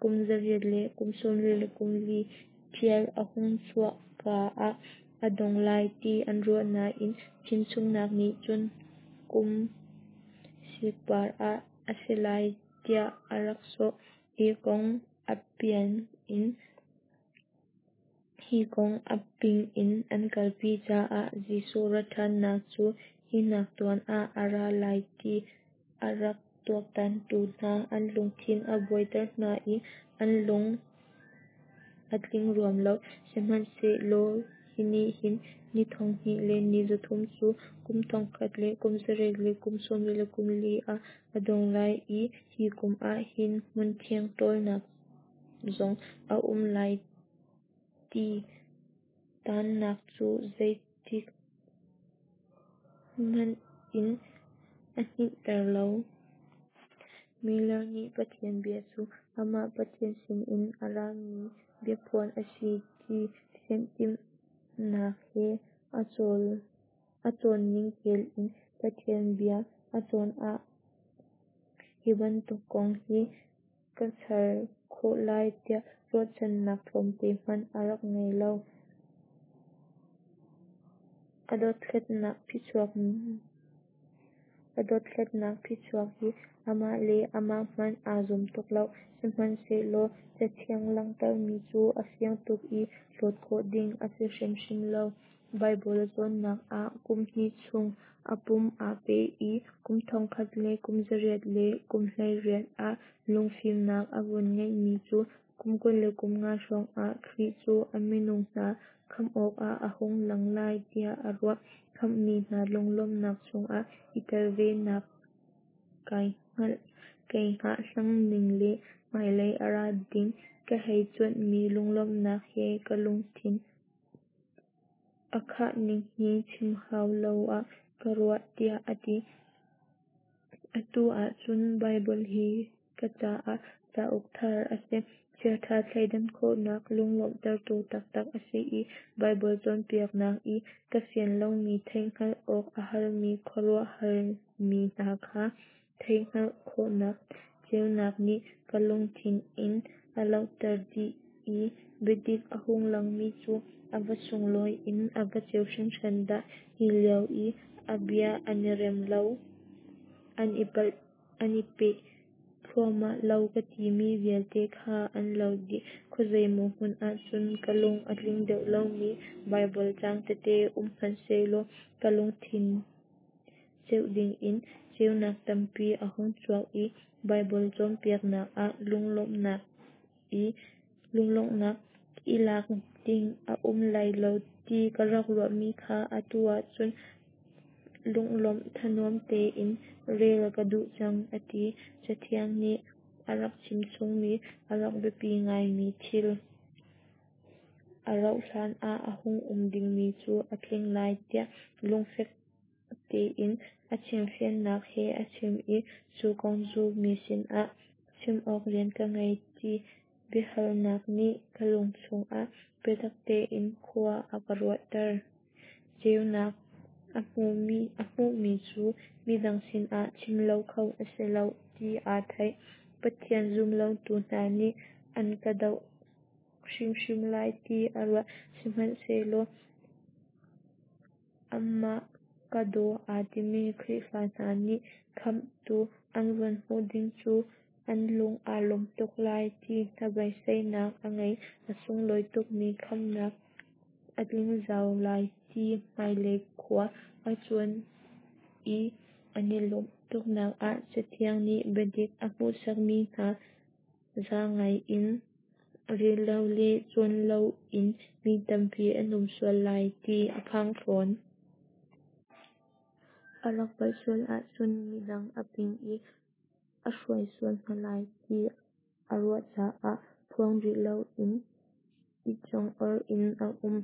kum zariat le kum sawmli le kum li ṭial a hung chuah ka ah a dong lai ti an ruah nain chimchungnak nih cun kum sikpar ah a si lai tiah a rak sawh. Hi kong a pian in Hi kong a ping in an kalpi caah Jesuh rat ṭhannak cu hi nak tuan ah a ra lai ti a rak tuaktantu hna an lungthin a buaiter hna i an lung a tling ruam lo. Sihmanhsehlaw hi nih hin ni thong hnih le ni zathum cu kum thong khat le kum zariat le kum sawmli le kum li ah a dong lai i hi kum ah hin hmunthiang ṭawlnak zong a um lai ti tannak cu zeitik hmanh in a hninhter lo. Miller nih Pathian bia cu amah Pathian sinin a rami biaphuan a si ti fiantimhnak he a cawn ningkel in Pathian bia a cawn ah hi bantuk kong hi ka char khawh lai tiah ruahchannak tlawmte hmanh a rak ngei lo. A dothlatnak phichuak A dothlatnak phichuak hi amah le amah hmanh aa zum tuk lo. Sihmanhsehlaw Cathiang langhtermi cu a fiang tuk i hlawt khawh ding a si hrimhrim lo. Baibal a cawnnak ah kum hnih chung a pum aa pe i kum thongkhat le kum zariat le kum hleiriat ah lungfimnak a vun ngeihmi cu kum kul le kum nga hrawngah Khrih cu a minung hna khamh awkah a hung lang lai tiah a ruah. Khamhmi hna lunglawmhnak chungah i tel ve nak kai hngahhlang ning le hmailei a ra ding ka hei cuanhmi lunglawmhnak he ka lungthin a khah ning hi chim hau lo ah ka ruah, tiah a ti. Atu ahcun Baibal hi ka caah cauk thar a si. Chiaṭha thleidan khawhnak lunglawmhtertu taktak a si i Baibal cawnpiaknak i ka fian lomi theihhngalh awk a harmi khuaruahharmi hna kha theihhngalh khawhnak ceunak nih ka lungthin in a lohter dih i biadik a hung langmi cu a va sunglawi in a va ceu hringhran dah! Hi lio i a bia an i rem lo, an i palh, an i peh thluahmah lo ka timi vialte kha an lo dih. Khuazeimaw hmun ahcun ka lung a tling deuh lomi Baibal caang tete um hmanhsehlaw ka lungthin ceuh dingin ceunak tampi a hung chuak i Baibal cawnpiaknak ah lunglawmhnak i lunglawmhnak i lak ding a um lai lo ti ka rak ruahmi kha atu ahcun lunglawm thanuam tein rel ka duh cang, a ti. Cathiang nih a rak chimchungmi a rak biapi ngaimi thil a rauhhlan ah a hung um dingmi cu a tling lai tiah lungfek tein a chimfiannak he a chim i cu kong cu mi sinah chim awk rian ka ngei ti biahalnak nih ka lung chungah biatak tein khua a ka ruahter. Ceunak a hmuhmi, a hmuhmi cu midang sinah chim lo kho a si lo ti aa theih. Pathian zumlotu hna nih an ka doh hrimhrim lai ti a ruah. Sihmanhsehlaw amah ka daw aa timi Khrihfa hna nih khamhtu an vun hmuh ding cu an lung aa lawm tuk lai ti hnabeiseinak a ngei. A sunglawi tukmi khamhnak a tling zau lai ti hmailei khua a cuan i an i lawmh tuknak ah Cathiang nih biadik a hmuhsakmi hna za ngai in rel lo le cawn loin mi tampi an um sual lai ti a phang fawn. A rak palh sual ahcun midang a ping i a hruai sual hna lai ti a ruah caah phuang rih loin i congawr in a um.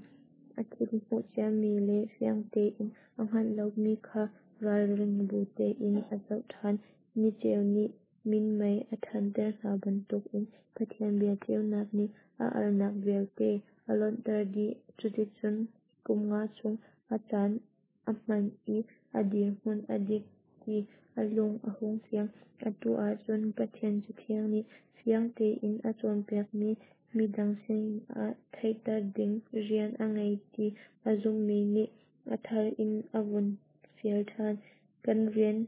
A thil hmuh ciami le fiang tein a hngalh lomi kha ralring bu tein a zoh ṭhan. Niceu nih minmei a thanter hna bantukin Pathian bia ceunak nih a alnak vialte a lonhter dih. Cuticun kum nga chung a caan a hman i a dirhmun a dik ti a lung a hung fiang. Atu ahcun Pathian Cathiang nih fiang tein a cawnpiakmi midang sinah theihter ding rian a ngei ti a zumhmi nih a thar in a vun fial ṭhan. Kan rian,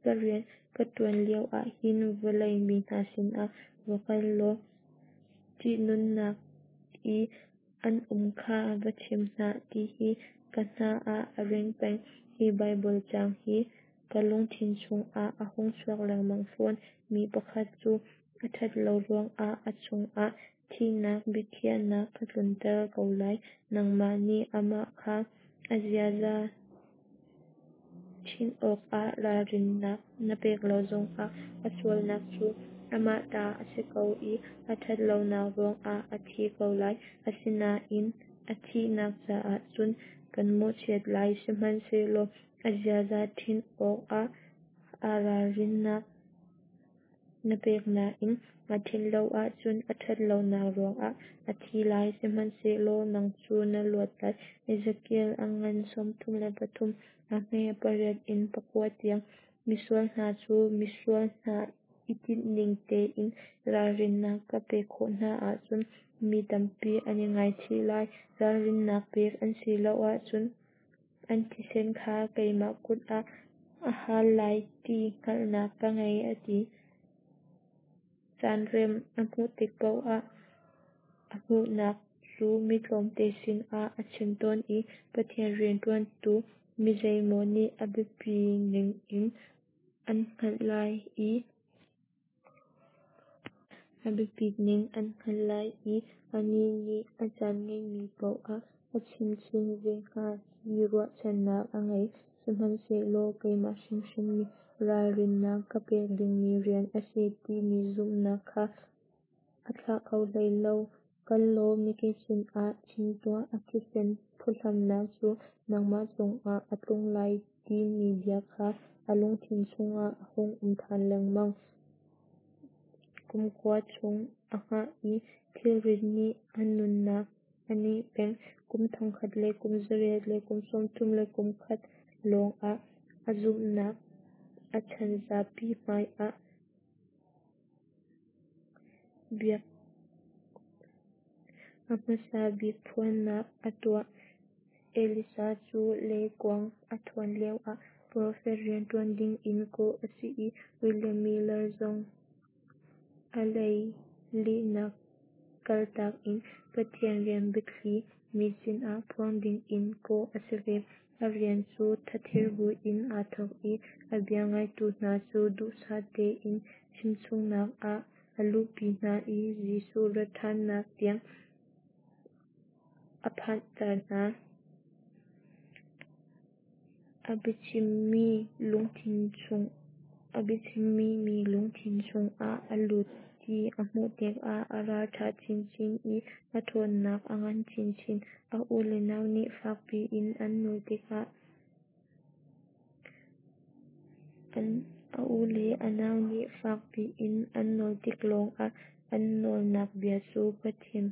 ka rian ka ṭuan lio ahhin vawlei mi hna sinah va kal law ṭihnunnak i an um kha va chim hna ti hi ka hna ah a ring peng. Hi Baibal caang hi ka lungthin chungah a hung chuak lengmang fawn. Mi pakhat cu a ṭhat lo ruangah a cungah thihnak biakhiahnak ka tlunter ko lai. Nangmah nih amah kha a ziaza ṭhinh awkah ralrinnak na pek lo zongah a sualnak cu amah ta a si ko i a ṭhat lonak ruangah a thi ko lai. Asinain a thihnak caah cun kan mawhchiat lai. Sihmanhsehlaw a ziaza ṭhinh awkah a ralrinnak na pek nain a ṭhinh lo ahcun a ṭhat lonak ruangah a thi lai, sihmanhsehlaw nang cu na luat lai. Ezekiel a ngan sawmthum le pathum, a hme pariat in pakua tiang. Misual hna cu misual hna i tinhning tein ralrinnak ka pek khawh hna ahcun mi tampi an i ngaichih lai. Ralrinnak pek an si lo ahcun an thisen kha keimah kut ah a hal lai ti hngalhnak ka ngei, a ti. Caanrem a hmuh tik paoh ah a hmuhnak cu mi tlawmte sinah a chim tawn i Pathian rianṭuantu mi zeimaw nih a biapi ning in an hngalh lai i a biapit ning an hngalh lai i anih nih a caan ngeihmi paoh ah a chim chin ve hnga ti ruahchannak a ngei. Sihmanhsehlaw keimah hrimhrim nih ralrinnak ka pek dingmi rian a si timi zumhnak kha a thlah kho hlei lo. Kal law mikip sinah chim tuah, a thisen phuhlamnak cu nangmah cungah a tlung lai timi bia kha a lungthin chungah a hung um ṭhan lengmang. Kumkua chung a hngah i thilrit nih a nunnak a neh peng. Kum thongkhat le kum zariat le kum sawmthum le kum khat lawng ah a zumhnak a chan zapi hmai ah bia a hmasa bik phuannak a tuah. Elijah cu leikuang a thuan lioah profet rianṭuan dingin kawh a si i William Miller zong a lei lihnak kaltak in Pathian rian biathli mi sinah phuang dingin kawh a si ve. A rian cu thathir buin aa thawk i a bia ngaitu hna cu duhsah tein chimchungnak ah a luhpi hna i Jesuh rat ṭhannak tiang a phanhter hna. A biachimmi mi lungthin chungah a lut ti a hmuh tikah a ralṭha chinchin i a ṭhawnnak a ngan chinchin. A u le nau nih fakpi in an nawl tikah a u le a nau nih fakpi in an nawl tik lawngah an nawlnak bia cu Pathian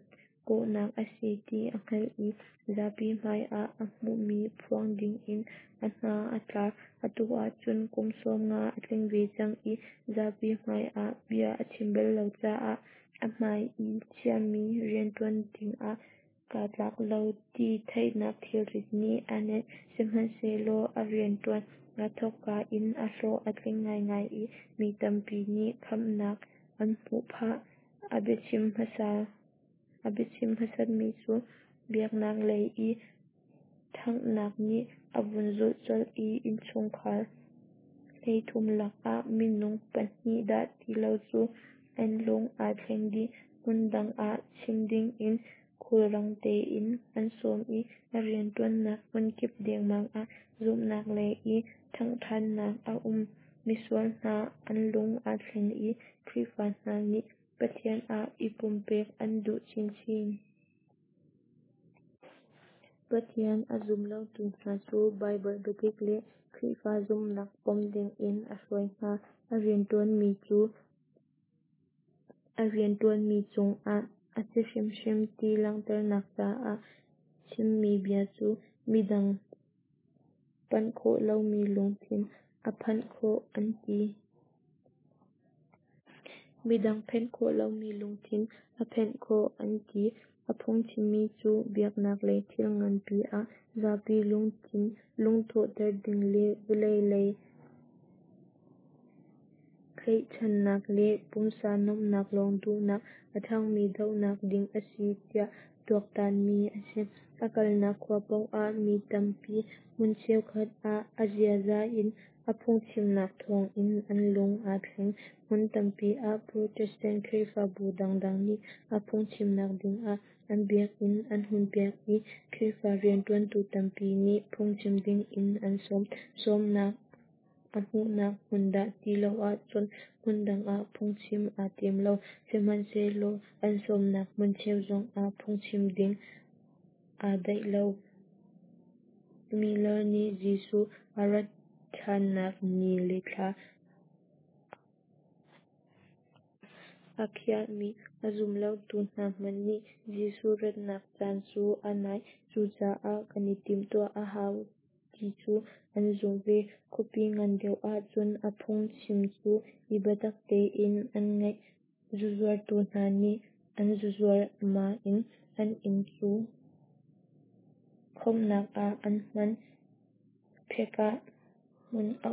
kawhnak a si ti a hngalh i zapi hmai ah a hmuhmi phuang dingin a hna a tla. Atu ahcun kum sawmnga a tling ve cang i zapi hmai ah bia a chim bal lo caah a hmai i chiahmi rianṭuan dingah kaa tlak lo ti theihnak thilrit nih a nenh. Sihmanhsehlaw a rianṭuan aa thawkka in a hlawh a tling ngaingai i mi tampi nih khamhnak an hmuh phah. A biachim hmasa A biachim hmasatmi cu biaknak lei i ṭhanghnak nih a vun zulh colh i innchungkhar hleithum lakah minung pahnih dah ti lo cu an lung aa thleng dih. Hmun dang ah chim dingin khulrang tein an sawm i a rianṭuannak hmunkip dengmang ah zumhnak lei i ṭhangṭhannak a um. Misual hna an lung aa thleng i Khrihfa hna nih Pathian ah i pumpek an duh chinchin. Pathian a zum lotu hna cu Baibal biadik le Khrihfa zumhnak pom dingin a hruai hna. A rianṭuanmi cu a rianṭuanmi cungah a si hrimhrim ti langhternak caah chimmi bia cu midang panh khawh lomi lungthin a phanh khawh an ti. Midang phenh khawh lomi lungthin a phenh khawh an ti. A phungchimmi cu biaknak lei thil nganpi ah zapi lungthin lungthawhter ding le vawlei lei tlaihchannak le pumsa nuamhnak lawng duhnak a ṭhangmi dohnak ding a si tiah tuaktanmi a si. A kalnak khua paoh ah mi tampi hmun cheukhat ah a ziaza in a phungchimnak thawngin an lung aa thleng. Hmun tampi ah Protestant Khrihfabu dangdang nih a phungchimnak dingah an biakinn an hunpiak i Khrihfa rianṭuantu tampi nih phungchim dingin an sawm. Sawmnak a hmuhnak hmun dah ti lo ahcun hmun dang ah phungchim aa tim lo. Sihmanhsehlaw an sawmnak hmun cheu zongah phungchim ding aa daih lo. Miller nih Jesuh a rat ṭhannak ni le thla a khiahmi a zum lotu hna hmanh nih Jesuh ratnak caan cu a nai, cucaah kan i timhtuah a hau ti cu an zumh ve. Khuapi ngan deuh ahcun a phungchim cu i biatak tein an ngaih. Zuzuartu hna nih an zuzuar nain an inn cu khawmhnak ah an hman. Phekah hmun a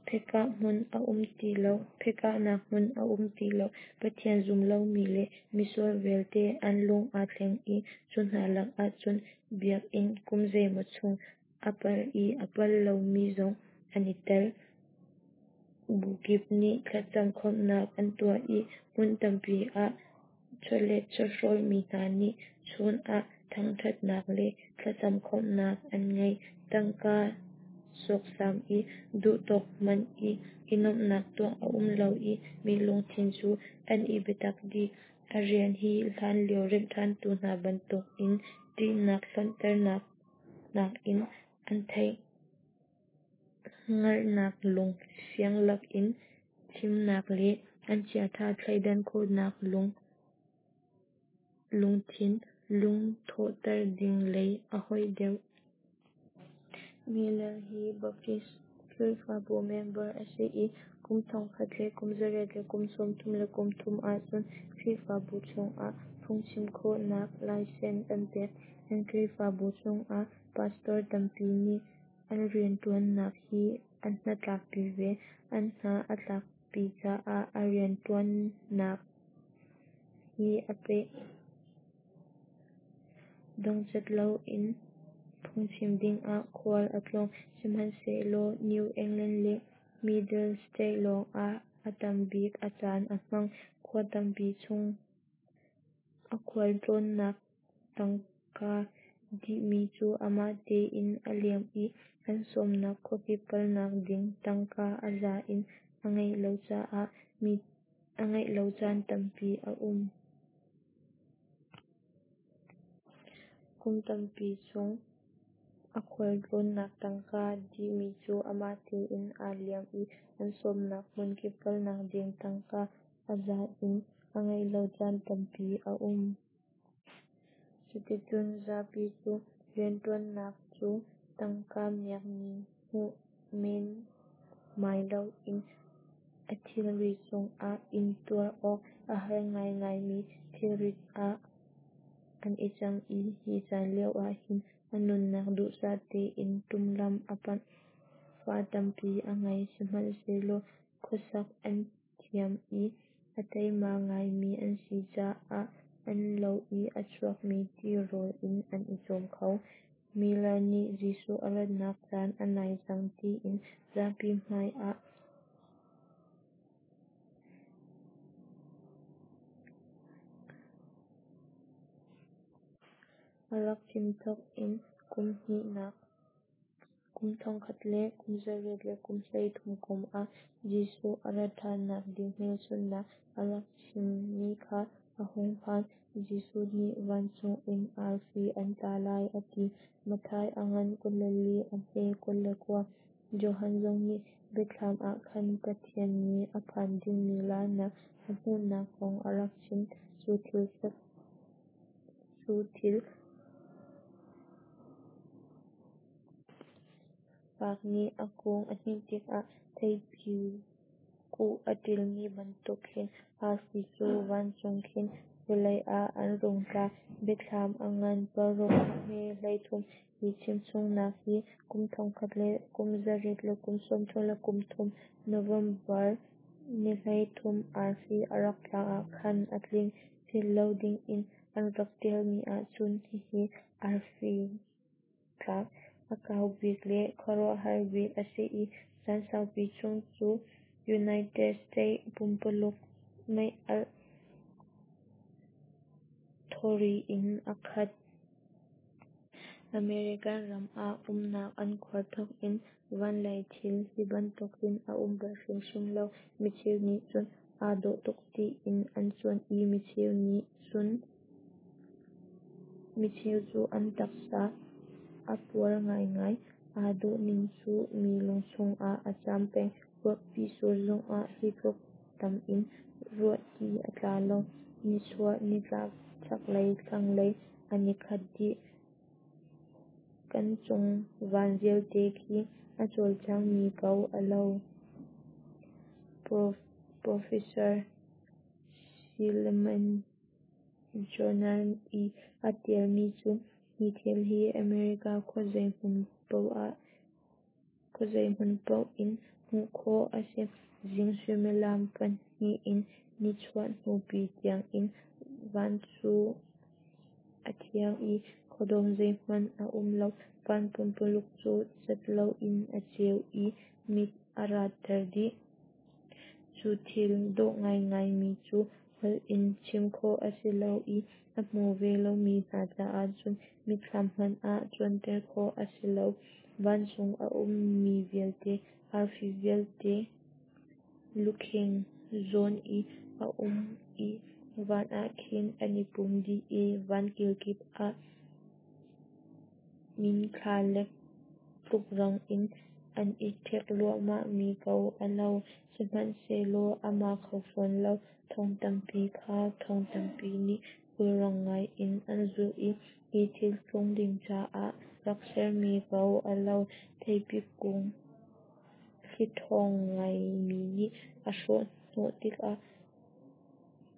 Phekah hmun a um ti lo. Phekahnak hmun a um ti lo. Pathian zum lomi le misual vialte an lung aa thleng i cu hna lakah cun biakinn kum zeimaw chung a pal i a pal lomi zong an i tel. Bu kip nih thlacam khawmhnak an tuah i hmun tampi ah chawlet chawhrawlmi hna nih chun ah thangṭhatnak le thlacam khawmhnak an ngei. Tangka sawksam i duhtawk hman i i nuamhnak tuah a um lo i mi lungthin cu an i biatak dih. A rian hi hlanlio remhṭhantu hna bantukin ṭihnak hlonhternak nakin an theih hngalhnak lung fiang lakin chimnak le An chiaṭha thleidan khawhnak lungthin lungthawhter ding lei a hoih deuh. Miller hi Baptist Khrihfabu member a si i kum thongkhat le kum zariat le kum sawmthum le kum thum ahcun Khrihfabu chungah phungchim khawhnak license an pek. An Khrihfabu chungah pastor tampi nih an rianṭuannak hi an hnatlakpi ve. An hna a tlakpi caah a rianṭuannak hi a peh. Dongcat loin phungchim dingah khual a tlawng, sihmanhsehlaw New England le Middle States lawngah a tambik a caan a hmang. Khua tampi chung a khualtlawnnak tangka dihmi cu amah tein aa liam i an sawmnak khuakip kalnak ding tangka a za in a ngeih lo caan tampi a um. Kum tampi chung a khualtlawnnak tangka dihmi cu amah tein aa liam i an sawmnak hmunkip kalnak ding tangka a za in a ngeih lo caan tampi a um. Cuticun zapi cu rianṭuannak cu tangka miakmi hmuh menmai loin a thilri cungah intuar awk a har ngaingaimi thilrit ah an i cang i hi caan lioah hin a nunnak duhsah tein ṭum lam a panh. Fa tampi a ngei, sihmanhsehlaw khuasak an thiam i a teima ngaimi an si caah an lo i a chuakmi tirawl in an i cawm kho. Miller nih Jesuh a ratnak caan a nai cang tiin zapi hmai ah a rak chim thawk in kum hnihnak kum thongkhat le kum zariat le kum hleithum kum ah Jesuh a rat ṭhannak ding hmelchunhnak a rak chimmi kha a hung phan. Jesuh nih vancung in arfi an tla lai a ti. Matthai a ngan kul le li a hme kul le kua. Johan zong nih Biathlam ah khan Pathian nih a phan dingmi laarnak a hmuhnak kong a rak chim. Cu thil cu thil fak nih a kung a hninh tikah theipi kuh a ṭilmi bantuk khin arfi cu vancung khin vawlei ah an rung tla. Biathlam a ngan paruk a hme hleithum. Hi chimchungnak hi kum thongkhat le kum zariat le kum sawmthum le kum thum November ni hleithum arfi a rak tlak ah khan a tling. Philh lo dingin an rak ṭialmi ahcun hihi arfi tlak a kau bik le khuaruahhar bik a si i caan saupi chung cu United States pumpululuk mei-alh thawri in a khat. American ram ah umnak an khuar thawk in vanlei thil hi bantuk hin a um bal hrimhrim lo. Micheu nih cun aa dawh tuk tiin an cuanh i micheu nih cun micheu cu an taksa a puar ngaingai. Aa dawh ning cu mi lungchung ah a caam peng. Ruahpi sur zongah hi tluk tam in ruahti a tla lo. Nichuah nitlak chaklei thlanglei an i khat dih. Kan cung van vialte khi a cawlcangmi ko a lo. Professor Silliman Journal i a tialmi cu hi thil hi America khuazei hmun paoh in hmuh khawh a si. Zing suimilam pahnih in nichuah hnupi tiangin van cu a thiang i khuadawm zeihmanh a um lo. Van pumpululuk cu cat loin a ceu i mit a ratter dih. Cu thil dawh ngaingaimi cu holh in chim khawh a si lo i a hmu ve lomi hna caah cun mitthlam hmanh ah cuanter khawh a si lo. Vancung a ummi vialte, arfi vialte lukheng zawn i a um i van ah khin an i pum dih i van kilkip ah nginthla lek tluk rang in an i ṭhek hluahmahmi ko a lo, sihmanhsehlaw a ma kho fawn lo. Thong tampi kha thong tampi nih khulrang ngaiin an zulh i hi thil tlung ding caah rak sermi ko a lo. Theipi kung thli ṭhawng ngaimi nih a hrawhhnawh tikah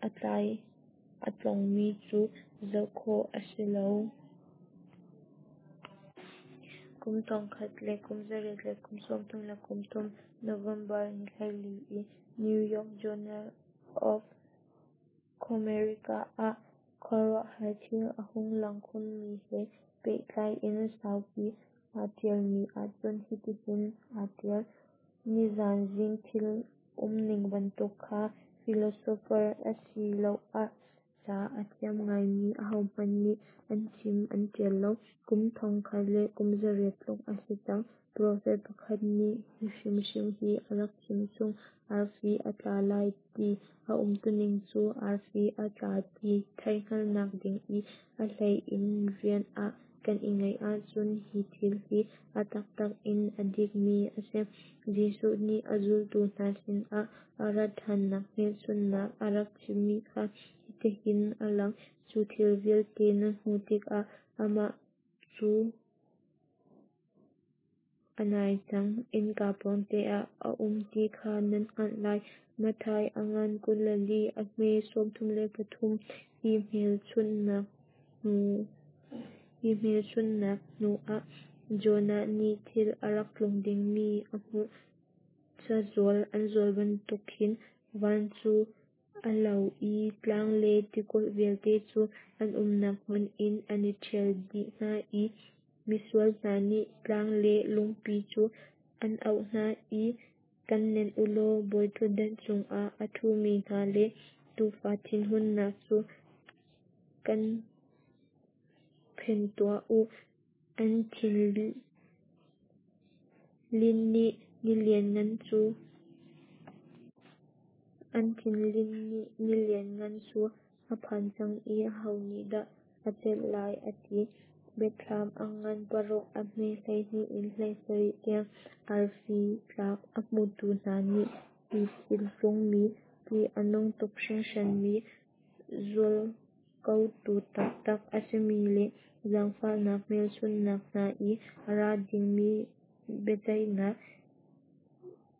a tlai a tlongmi cu zoh khawh a si lo. Kum thongkhat le kum zariat le kum sawmthum le kum thum November ni hleili i New York Journal of Comerica ah khuaruahhar thil a hung lang khunmi he pehtlai in saupi aa ṭialmi ahcun hitihin aa ṭial: "Nizan zing thil umning bantuk kha philosopher asiloah ca a thiam ngaimi ahohmanh nih an chim an ṭial lo. Kum thongkhat le kum zariat tluk a si cang. Profet pakhat nih hi hrimhrim hi a rak chim chung. Arfi a tla lai ti a umtuning cu arfi a tla ti theihhngalhnak ding i a hlei in rian ah kan i ngeih ahcun hi thil hi a taktak in a dikmi a si. Jesuh nih a zultu hna sinah a rat ṭhannak hmelchunhnak a rak chimmi kha hitihin a lang: Cu thil vialte nan hmuh tikah amah cu a nai cang, innka pawngte ah a um ti kha nan hngalh lai." Matthai a ngan kul le li, a hme sawmthum le pathum. Hi hmelchunhnak hnu hi hmelchunhnak hnuah Jonah nih thil a rak tlung dingmi a hmuh. Cazual an zual bantuk khin van cu a lo i tlang le tikulh vialte cu an umnak hmun in an i ṭhial dih hna i misual hna nih tlang le lungpi cu an auh hna i, “Kan nenh u law bawiṭhutdan cungah a ṭhumi hna le Tuufa thinhunnak cu kan phen tuah u. An thinlinh ni ni lianngan cu an thinlinh ni lianngan cu a phan cang i aho nih dah a celh lai?” a ti. Biathlam a ngan paruk a hme hleihnih in hleisarih tiang. Arfi tlak a hmutu hna nih hi thil tlungmi, ṭih a nung tuk hringhranmi, zualkotu taktak a simi le zaangfahnak hmelchunhnak hna i a ra dingmi biaceihnak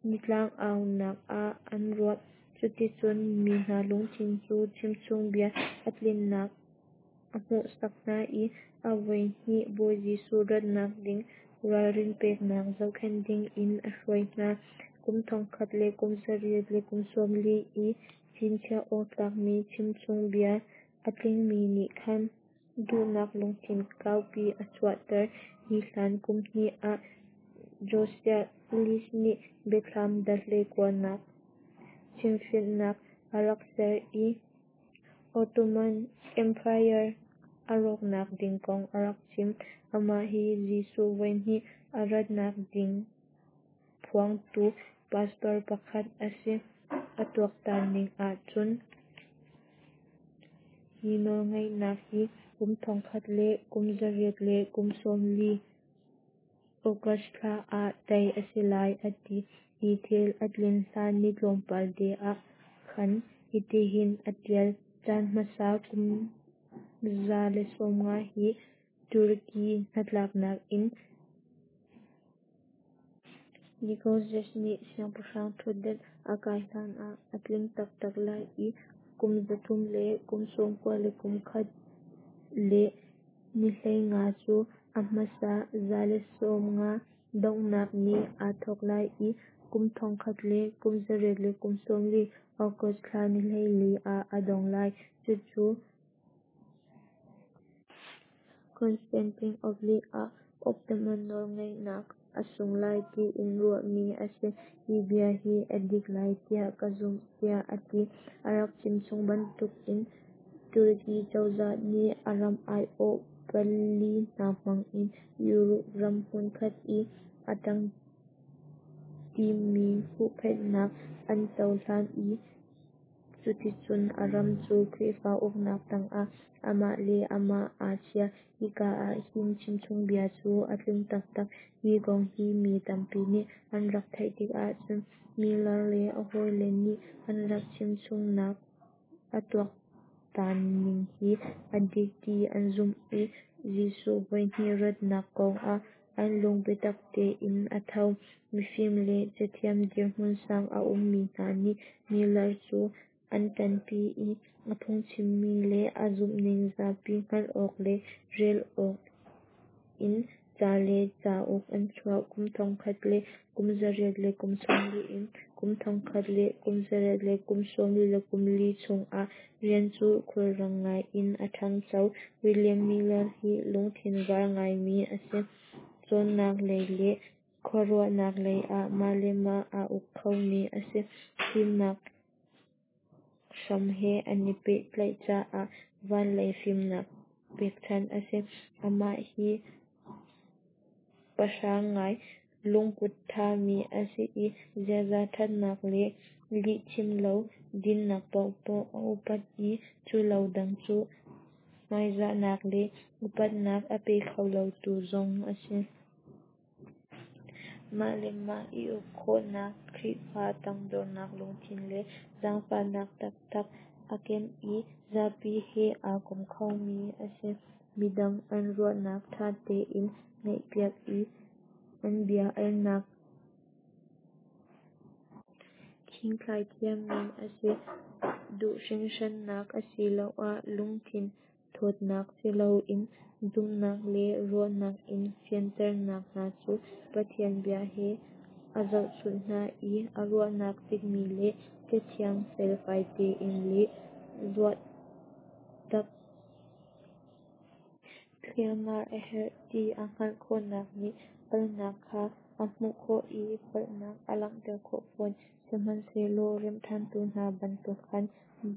ni tlang-aunak ah an ruah. Cuticun mi hna lungthin cu chimchungbia a tlinnak a hmuhsak hna i a voihnih Bawi Jesuh ratnak ding ralrin peknak zohkhenh dingin a hruai hna. Kum thongkhat le kum zariat le kum sawmli i chinchiah awk tlakmi chimchungbia a tlingmi nih khan duhnak lungthin kaupi a chuahter. Hi hlan kum hnih ah Josiah Litch nih Biathlam Dal hleikuanak chimfiannak a rak ser i Ottoman Empire a rawknak ding kong a rak chim. Amah hi Jesuh voihnih a ratnak ding phuangtu pastor pakhat a si. A tuaktan ning ahcun hi nawlngeihnak hi kum thongkhat le kum zariat le kum sawmli August thla ah tei a si lai a ti. Hi thil a tlin hlan ni tlawmpal te ah khan hitihin a ṭial: Caan hmasa kum za le sawmnga hi Turkey hnatlaknak in Nicholas nih siangpahrang ṭhutdan a kai hlan ah a tling taktak lai i kum zathum le kum sawmkua le kum khat le ni hleinga cu a hmasa za le sawmnga donghnak ni aa thawk lai i kum thongkhat le kum zariat le kum sawmli August thla ni hleili ah a dong lai. Cucu Constantinople ah Ottoman nawlngeihnak a sung lai tiin ruahmi a si. Hi bia hi a dik lai tiah ka zumh, tiah a ti. A rak chimchung bantukin Turkey cozah nih a ram aiawh pali hna hmang in Europe ram hmunkhat i a ṭangṭimi huhphenhnak an cohlan i Cuticun a ram cu Khrihfa uknak tangah amah le amah aa chia. Hika ahhin chimchungbia cu a tling taktak. Hi kong hi mi tampi nih an rak theih tikah cun Miller le a hawile nih an rak chimchungnak a tuaktan ning hi a dik ti an zumh i Jesuh voihnih ratnak kong ah an lung biatak tein a tho. Mifim le cathiam dirhmun sang a ummi hna nih Miller cu an ṭanpi i a phungchimmi le a zumhning zapi hngalh awk le rel awk in ca le cauk an chuah. Kum thongkhat le kum zariat le kum sawmli in kum thongkhat le kum zariat le kum sawmli le kum li chung a rian cu khulrang ngai in a ṭhangcho. William Miller hi lungthin var ngaimi a si. Cawnnak lei le khuaruahnak lei ah mah le mah aa uk khomi a si. Fimnak hram he an i pehtlaih caah van lei fimnak pekchanh a si. Amah hi pahrang ngai, lungput ṭhami a si i ziaza ṭhatnak le lihchim lo dinnak paohpaoh a upat i cu lo dang cu hmaizahnak le upatnak a pe kho lotu zong a si. Mah le mah i uk khawhnak, Khrihfa tangdornak lungthin le zaangfahnak taktak a ken i zapi he aa kom khomi a si. Midang an ruahnak ṭha tein ngaihpiak i an bia alnak khingthlai thiammi a si. Duh hringhrannak asiloah lungthin thawtnak siloin zumhnak le ruahnak in fianternak hna cu Pathian bia he a zohchunh hna i a ruahnak dikmi le Cathiang felfai tein le ruahtak thliarmar a herh ti a hngalh khawhnak nih palhnak kha a hmuh khawh i palhnak a langhter khawh fawn. Sihmanhsehlaw remhṭhantu hna bantuk khan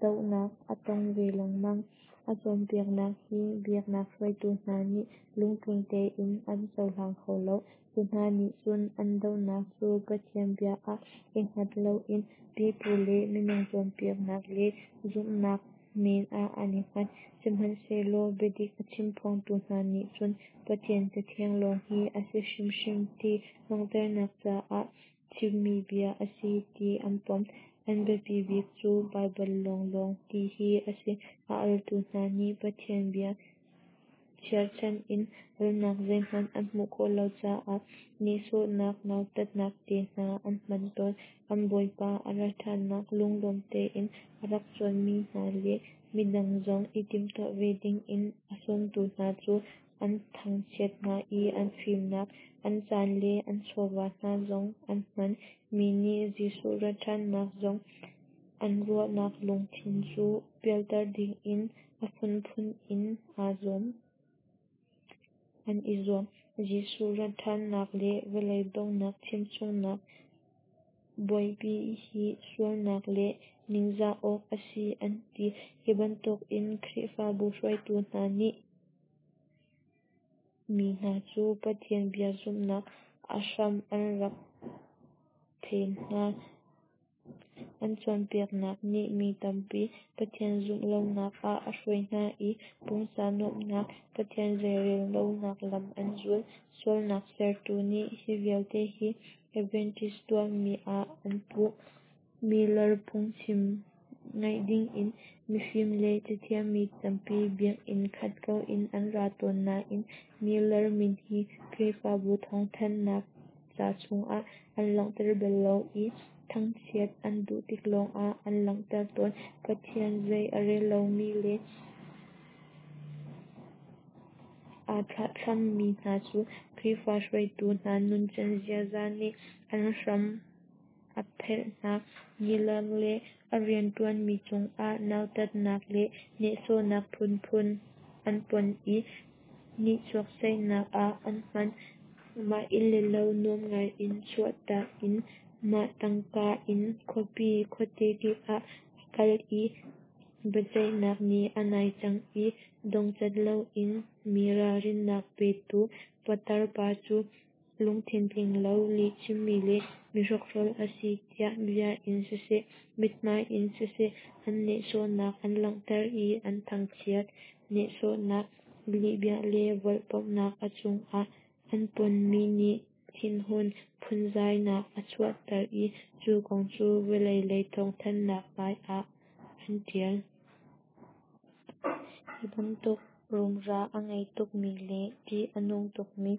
dohnak a tong ve lengmang. A cawnpiaknak hi biaknak hruaitu hna nih lungtling tein an cohlang kho lo. Cu hna nih cun an dohnak cu Pathian bia ah i hngat loin pipu le minung cawnpiaknak le zumhnak men ah an i hngat. Sihmanhsehlaw biadik a chimphuangtu hna nih cun Pathian Cathiang lawng hi a si hrimhrim ti langhternak caah chimmi bia a si ti an pom. An biapi bik cu Baibal lawnglawng ti hi a si. A altu hna nih Pathian bia cherhchan in alnak zeihmanh an hmuh khawh lo caah nehsawhnak, nautatnak te hna an hman tawn. An Bawipa a rat ṭhannak lunglawm tein a rak cuanmi hna le midang zong i timhtuah ve dingin a sawmtu hna cu an thangchiat hna i an fimnak, an caan le an chawva hna zong an hman. Mi nih Jesuh rat ṭhannak zong an ruahnak lungthin cu pialter dingin a phunphun in aa zuam. An i zuam. Jesuh rat ṭhannak le vawlei donghnak chimchungnak buaipi hi sualnak le ningzah awk a si an ti. Hi bantukin Khrihfabu hruaitu hna nih mi hna cu Pathian bia zumhnak a hram an rak phen hna. An cawnpiaknak nih mi tampi Pathian zumh lonak ah a hruai hna i pumsa nuamhnak, Pathian zeirel lonak lam an zul. Sualnak sertu nih hi vialte hi Adventist tuahmi ah an puh. Miller phungchim ngaih dingin mifim le cathiam mi tampi biakinn khat ko in an ra tawn nain Miller min hi Khrihfabu thawngthanhnak ca chungah an langhter bal lo i thangchiat an duh tik lawngah an langhter tawn. Pathian zei a rel lomi le aa thlahthlammi hna cu Khrihfa hruaitu hna nuncan ziaza nih an hram a phelh hna. Miller le a rianṭuanmi cungah nautatnak le nehsawhnak phunphun an pon i nihchuak ceihnak ah an hman. Mah inn le lo nuam ngai in chuahtak in mah tangka in khuapi khuate kip ah a kal i biaceihnak ni a nai cang i dongcat loin mi ralrinnak petu patar pa cu Lungthin tling lo, lihchimmi le mihrokhrol a si tiah bia in siseh, mithmai in siseh an nehsawhnak an langhter i an thangchiat. Nehsawhnak, lihbia le volhpamhnak a cungah an ponmi nih thinhun phunzainak a chuahter i cu kong cu vawlei lei thawngthanhnak hmai ah an ṭial. Hi bantuk rumra a ngei tukmi le ṭih a nung tukmi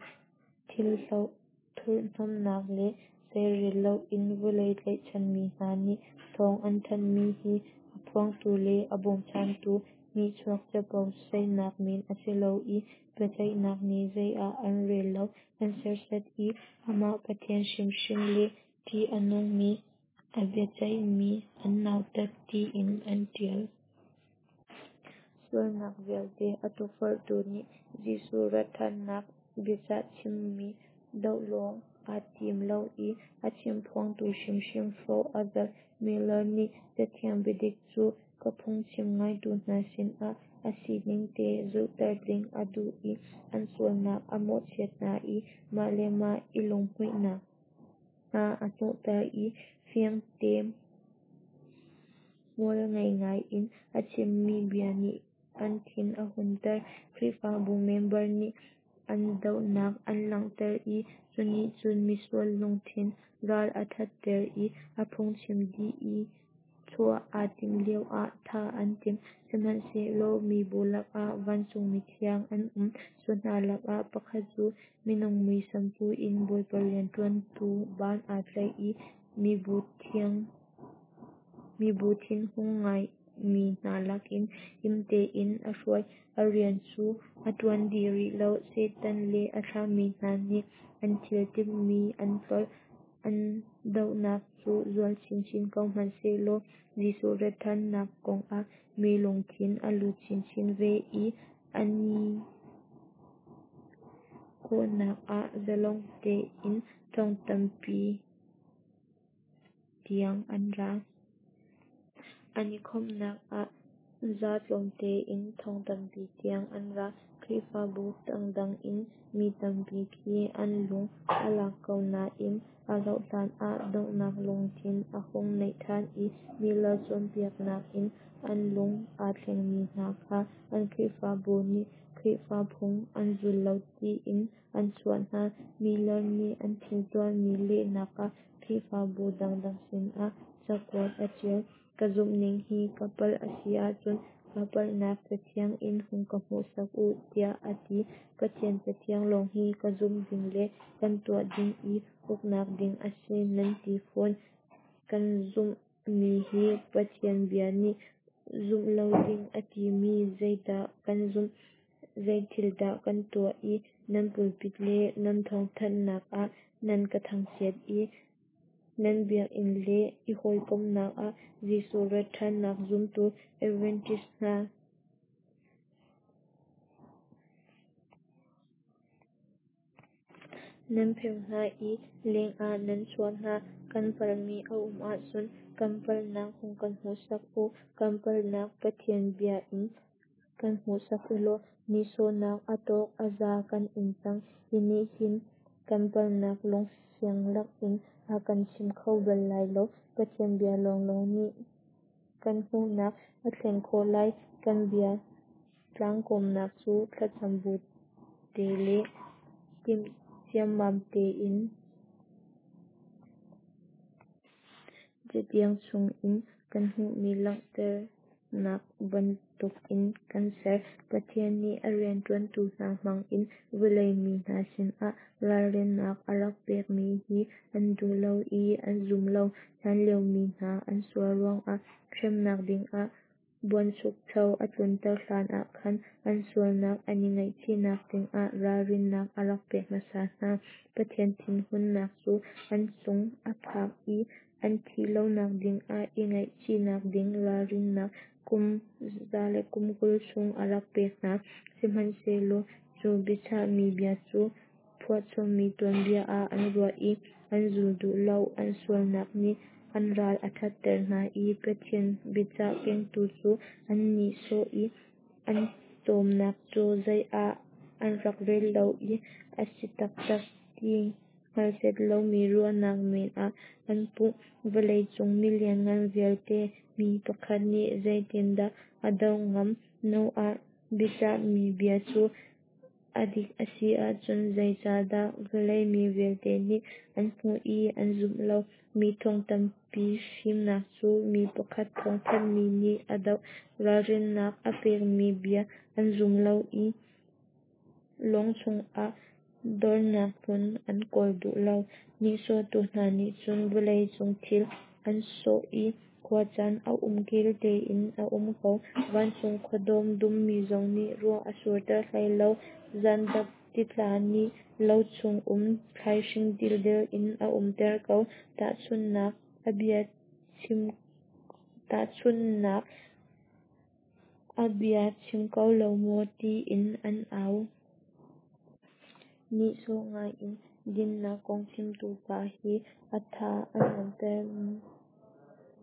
thilhloh thurhhnawmhnak le zeirel loin vawlei tlaihchanmi hna nih thawng an thanhmi hi a phuangtu le a bawmchantu nihchuak capo saihnak men a si lo i biaceihnak nih zei ah an rel lo, an serhsat i amah Pathian hrimhrim le ṭih a nungmi a biaceihmi an nautat tiin an ṭial. Sualnak vialte a tukforhtu nih Jesuh ratṭhannak biacah chimmi doh lawng aa tim lo i a chimphuangtu hrimhrim hrawh a zalh. Miller nih Cathiang biadik cu ka phungchim ngaitu hna sinah a siningte zulhter ding a duh i an sualnak a mawhchiat hna i mah le mah i lunghmuihnak hna a hnawhter i fiangte hmualngei ngai in a chimmi bia nih an thin a hunter. Khrihfabu member nih an dohnak an langhter i cunih cun misual lungthin ral a ṭhatter i a phungchim dih i chuah aa timh lioah thah an timh. Sihmanhsehlaw mibu lakah vancung mithiang an um. Cu hna lakah pakhat cu minung muisam pu in Bawipa rianṭuantu ban aa tlaih i mibu thinhung ngaimi hna lakin him tein a hruai. A rian cu a ṭuan dih rih lo. Satan le a thlahmi hna nih an thil timhmi an tlolh. An dohnak cu zual chinchin ko hmanhsehlaw Jesuh ratṭhannak kongah mi lungthin a lut chinchin ve i an i kawhnak ah zalong tein thong tampi tiang an ra. An i khawmhnak ah za tlawmte in thong tampi tiang an ra. Khrihfabu dangdang in mi tampi khi an lung a lak ko nain a rauhhlan ah donghnak lungthin a hung nei ṭhan i Miller cawnpiaknak in an lung aa thlengmi hna kha an Khrihfabu nih Khrihfa phung an zul lo tiin an chuah hna. Miller nih an thil tuahmi lehnak ah Khrihfabu dangdang sinah cakuat a ṭial. Ka zumhning hi ka palh a si ahcun ka palhnak Cathiang in hung ka hmuhsak u, tiah a ti. Pathian Cathiang lawng hi kan zumh ding le kan tuah ding i uknak ding a si nan ti fawn. Kan zumhmi hi Pathian bia nih zumh lo ding a timi zeidah kan zumh, zeithil dah kan tuah i nan pulpit le nan thawngthanhnak ah nan ka thangchiat i nan biakinn le i hawikomhnak ah Jesuh ratṭhannak zumtu Adventist hna nan pheo hna i lengah nan chuah hna. Kan palhmi a um ahcun kan palhnak hung kan hmuhsak u. Kan palhnak Pathian bia in kan hmuhsak ulaw nihsawhnak a tawk a za kan ing cang. Hi nih hin kan palhnak lungfiang lakin a kan chim kho bal lai lo. Pathian bia lawnglawng nih kan hmuhnak a thlen khawh lai. Kan bia tlangkawmnak cu thlacam bu te le timh ciammam tein Cathiang chungin kan hmuhmi langhternak bantukin kan ser. Pathian nih a rianṭuantu hna hmangin vawlei mi hna sinah ralrinnak a rak pekmi hi an duh lo i an zum lo. Hlanlio mi hna an sual ruangah hremnak dingah buanchukcho a tlunter hlanah khan an sualnak an i ngaihchihnak dingah ralrinnak a rak pek hmasa hna. Pathian thinhunnak cu an cung a phak i an thih lonak dingah i ngaihchihnak ding ralrinnak kum za le kum kul chung a rak pek hna. Sihmanhsehlaw cu biachahmi bia cu phuahchommi tuanbia ah an ruah i an zul duh lo. An sualnak nih an ral a ṭhatter hna i Pathian biacah kengtu cu an nihsawh i an cawmnak cu zei ah an rak rel lo i a si taktak ti hngalh set lomi ruahnak men ah an puh. Vawlei cung milianngan vialte mi pakhat nih zeitindah a doh ngam? Noah biacahmi bia cu a dik a si ahcun zeicahdah vawlei mi vialte nih an hmuh i an zumh lo? Mi thong tampi fimnak cu mi pakhat thawngthanhmi nih a doh. Ralrinnak a pekmi bia an zum lo i lawng chungah dornak hmun an kawl duh lo. Nihsawhtu hna nih cun vawlei cung thil an sawh i khuacaan a umkel tein a um ko. Vancung khuadawm dummi zong nih ruah a surter hlei lo. Zandap titla nih lo chung um thlaihring dildel in a umter ko. Tahchunhnak a bia chim tahchunhnak a bia chim ko lo maw tiin an au. Nihsawh ngai in dinnak kong chimtu pa hi a tha a nuamter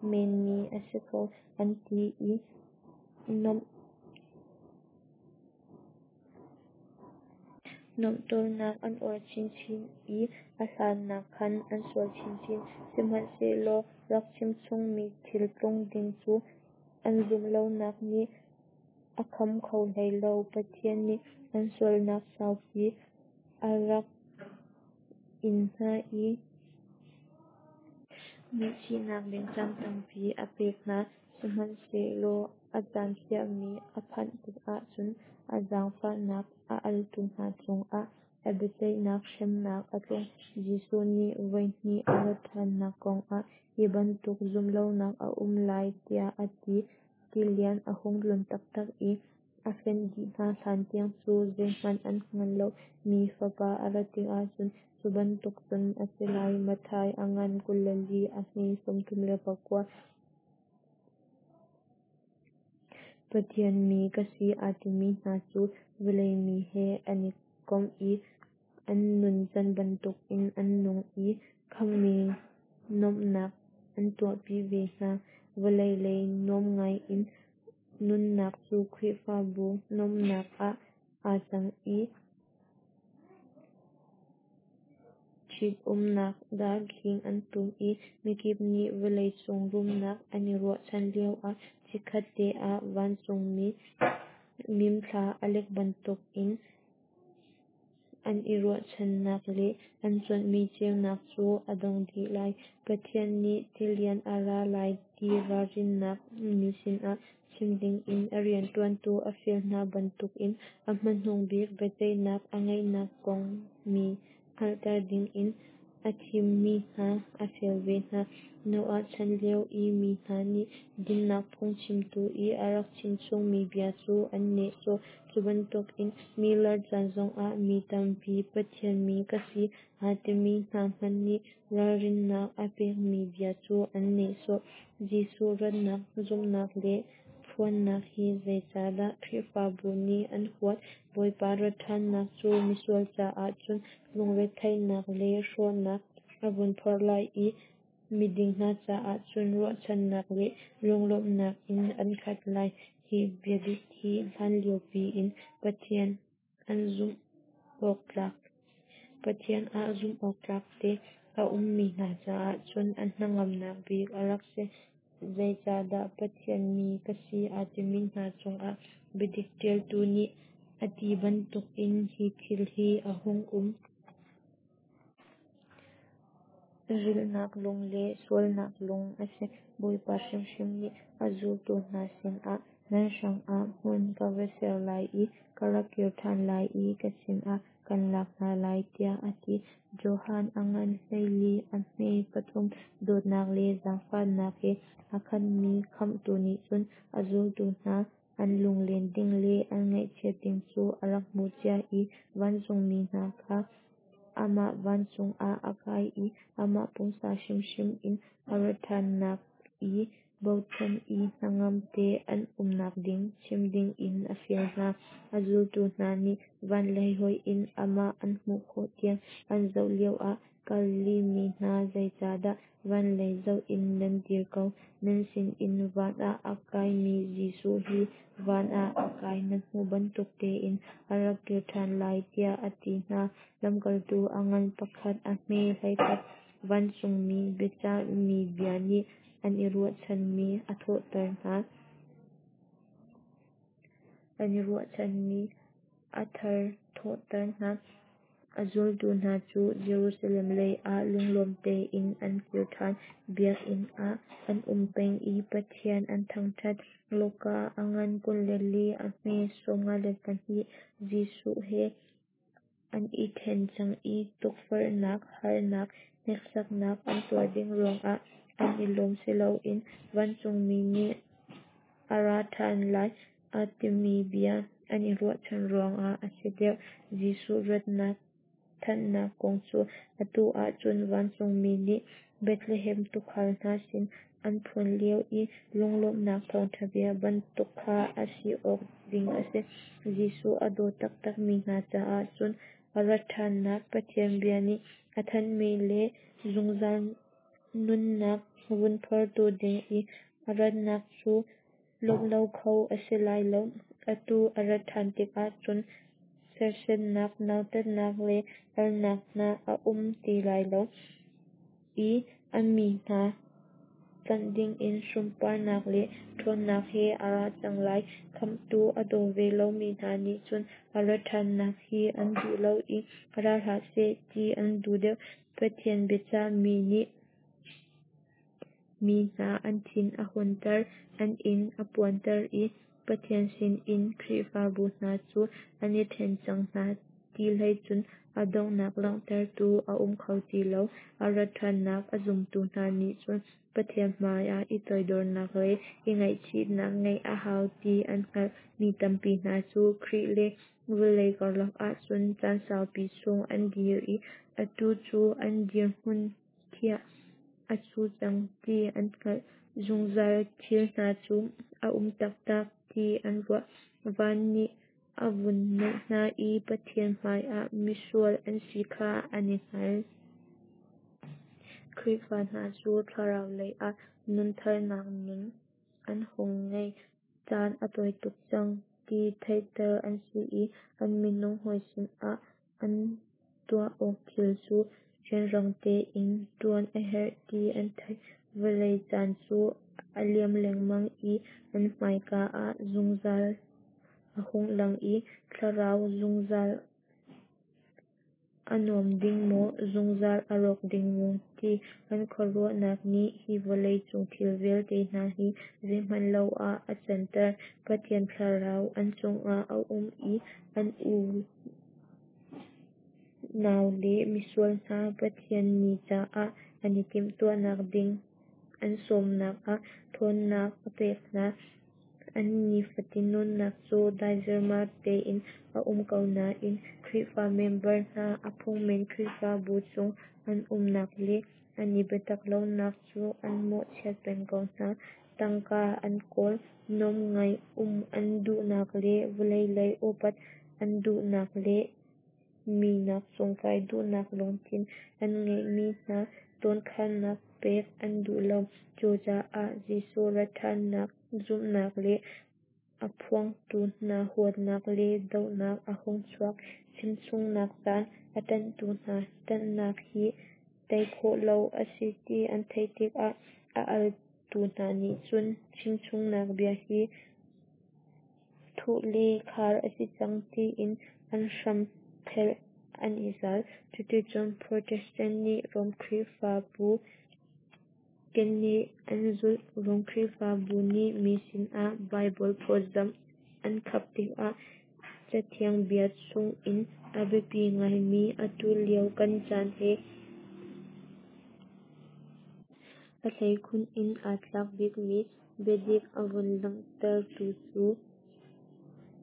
menmi a si ko, an ti i nuamh nuamhtawlnak an uar chinchin i a hlan nakkhan an sual chinchin. Sihmanhsehlaw rak chimchungmi thil tlung ding cu an zumh lonak nih a kham kho hlei lo. Pathian nih an sualnak saupi a rak in hna i ngaihchihnak ding caan tampi a pek hna. Sihmanhsehlaw a caan khiahmi a phanh tikah cun a zaangfahnak a altu hna cungah a biaceihnak hremnak a tlung. Jesuh nih voi hnih a rat ṭhannak kongah hi bantuk zumhlonak a um lai tiah a ti. Tilian a hung tlun taktak i a fenh dih hna hlantiang cu zeihmanh an hngal lo. Mi Fapa a rat tikah cun cu bantuk cun a si lai. Matthai a ngan kul le li a hme sawmthum le pakua. Pathian mi ka si aa timi hna cu vawlei mi he an i kom i an nuncan bantukin an nung i khamhmi nuamhnak an tuahpi ve hna. Vawlei lei nuam ngai in nunnak cu Khrihfabu nuamhnak ah aa cang i ṭhitumnak darkhing an tum i mikip nih vawlei cung rumnak an i ruahchan lioah chikkhat te ah vancungmi mimthla a lek bantukin an i ruahchannak le an cuanhmi ceunak cu a dong dih lai. Pathian nih tilian a ra lai ti ralrinnak mi sinah chim dingin a rianṭuantu a fial hna bantukin a hmanung bik biaceihnak a ngeihnak kong mi hngalhter dingin a thimmi hna a fial ve hna. Noah chan lio i mi hna nih dinnak phung chimtu i a rak chimchungmi bia cu an nehsawh. Cu bantukin Miller chan zongah mi tampi Pathian mi ka si aa timi hna hmanh nih ralrinnak a pekmi bia cu an nehsawh. Jesuh ratnak zumhnak le phuannak hi zeicahdah Khrihfabu nih an huat? Bawipa rat ṭhannak cu misual caah cun lungretheihnak le hrawhnak a vun phorh lai i miding hna caah cun ruahchannak le lunglawmhnak in an khat lai. Hi biadik hi hlanlio piin Pathian an zumh awktlak Pathian ah zumh awktlak te a ummi hna caah cun an hnangamnak bik a rak si. Zeicahdah Pathian mi ka si aa timi hna cungah biadik ṭialtu nih a ti bantukin hi thil hi a hung um? Rilhnak lung le sualnak lung a si. Bawipa hrimhrim nih a zultu hna sinah nan hrangah hmun ka va ser lai i ka rak kir ṭhan lai i ka sinah kan lak hna lai tiah a ti. Johan a ngan hleili a hme pathum. Dawtnak le zaangfahnak he a khatmi Khamhtu nih cun a zultu hna an lunglen ding le an ngaihchiat ding cu a rak hmuh cia i vancungmi hna kha amah vancung ah a kai i amah pumsa hrimhrim in a rat ṭhannak i bochan i hnangam te an umnak ding chim dingin a fial hna. A zultu hna nih van lei hoih in amah an hmuh khawh tiang an zoh lioah Galilee mi hna, zeicahdah van lei zoh in nan dir ko? Nan sinin van ah a kaimi Jesuh hi van ah a kai nan hmuh bantuk tein a rak kir ṭhan lai, tiah a ti hna. Lamkaltu a ngan pakhat, a hme hleikhat. Vancungmi biacahmi bia nih an i ruahchanmi a thawhter hna. An i ruahchanmi a tharthawhter hna. A zultu hna cu Jerusalem lei ah lunglawm tein an kir ṭhan. Biakinn ah an um peng i Pathian an thangṭhat. Luka a ngan kul le li, a hme sawmnga le pahnih. Jesuh he an i ṭhen cang i tukforhnak, harnak, hneksaknak an tuar ding ruangah an i lawm siloin vancungmi nih a ra ṭhan lai a timi bia an i ruahchan ruangah a si deuh. Jesuh ratnak thannak kong cu atu ahcun vancungmi nih Bethlehem tuukhal hna sin an phuan lio i lunglawmhnak thawngṭha bia bantuk kha a si awk ding a si. Jesuh a daw taktak mi hna caah cun a rat ṭhannak Pathian bia nih a thanhmi le zungzal nunnak vun phortu ding i a ratnak cu lawmh lo kho a si lai lo. Atu a rat ṭhan tikah cun serhsatnak, nautatnak le alnak hna a um ti lai lo i a mi hna tlanh dingin sunparnak le ṭhawnnak he a ra cang lai. Khamhtu a daw ve lomi hna nih cun a rat ṭhannak hi an duh lo i ra hlah seh ti an duh deuh. Pathian biacahmi nih mi hna an thin a hunter, an ing a puanter i Pathian sinin Khrihfabu hna cu an i ṭhen cang hna ti hlei cun a donghnak langhtertu a um kho ti lo. A rat ṭhannak a zumtu hna nih cun Pathian hmaiah i toidornak le i ngaihchihnak ngeih a hau ti an hngalh. Mi tampi hna cu Khrih le vawlei karlak ahcun caan saupi chung an dir i atu cu an dirhmun khiah a cu cang ti an hngalh. Zungzal thil hna cu a um taktak ti an ruah. Van nih a vun naih hna i Pathian hmaiah misual an si kha an i hngal. Khrihfa hna cu thlarau lei ah nuntharnak nun an hung ngei. Caan a tawi tuk cang ti theihter an si i an minung hawi sinah an tuah awk thil cu rianrang tein ṭuan a herh ti an theih. Vawlei caan cu a liam lengmang i an hmaika ah zungzal a hung lang i thlarau zungzal a nuam ding maw, zungzal a rawk ding maw ti an khuaruahnak nih hi vawlei cung thil vialte hna hi zeihmanh lo ah a canter. Pathian thlarau an chungah a um i an unau le misual hna Pathian ni caah an i timhtuahnak ding an sawmnak ah ṭhawnnak a pek hna. An nifatin nunnak cu dai zirmar tein a um ko nain Khrihfa member hna a phungmen Khrihfabu chung an umnak le an i biatak lonak cu an mawhchiat peng ko hna. Tangka an kawl, nuam ngai um an duhnak le vawlei lei upat an duhnak le mi nak cungkai duhnak lungthin an ngeihmi hna dawnkhannak pek an duh lo. Cucaah Jesuh rat ṭhannak zumhnak le a phuangtu hna huatnak le dohnak a hung chuak. Chimchungnak caan a ṭanhtu hna ṭanhnak hi tei khawh lo a si ti an theih tikah a altu hna nih cun chimchungnak bia hi thuh le khar a si cang tiin an hram phelh an i zal. Cuticun Protestant nih Rom Khrihfabu keneh an zulh. Rom Khrihfabu nih mi sinah Baibal phawtzamh an khap tikah Cathiang bia chungin a biapi ngaimi atu lio kan caan he a hleikhun in aa tlak bikmi biadik a vun langhtertu cu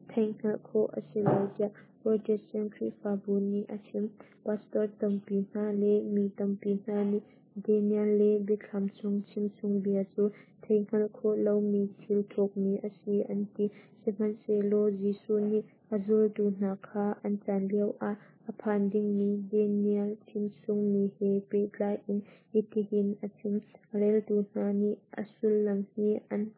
theihhngalh khawh a si lo tiah Protestant Khrihfabu nih a chim. Pastor tampi hna le mi tampi hna nih Daniel le Biathlam chung chimchungbia cu theihhngalh khawh lomi thil thukmi a si an ti. Sihmanhsehlaw Jesuh nih a zultu hna kha an caan lioah a phan dingmi Daniel chimchungmi he pehtlai in hitihin a chim: A reltu hna nih a sullam hi an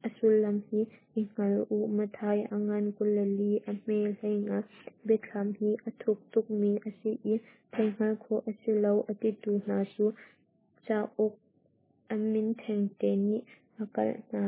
a sullam hi i hngal u Matthai a ngan kul le li a hme hleinga. Biathlam hi a thuk tukmi a si i theihhngalh khawh a si lo a titu hna cu cauk a min thengte nih a kalh hna.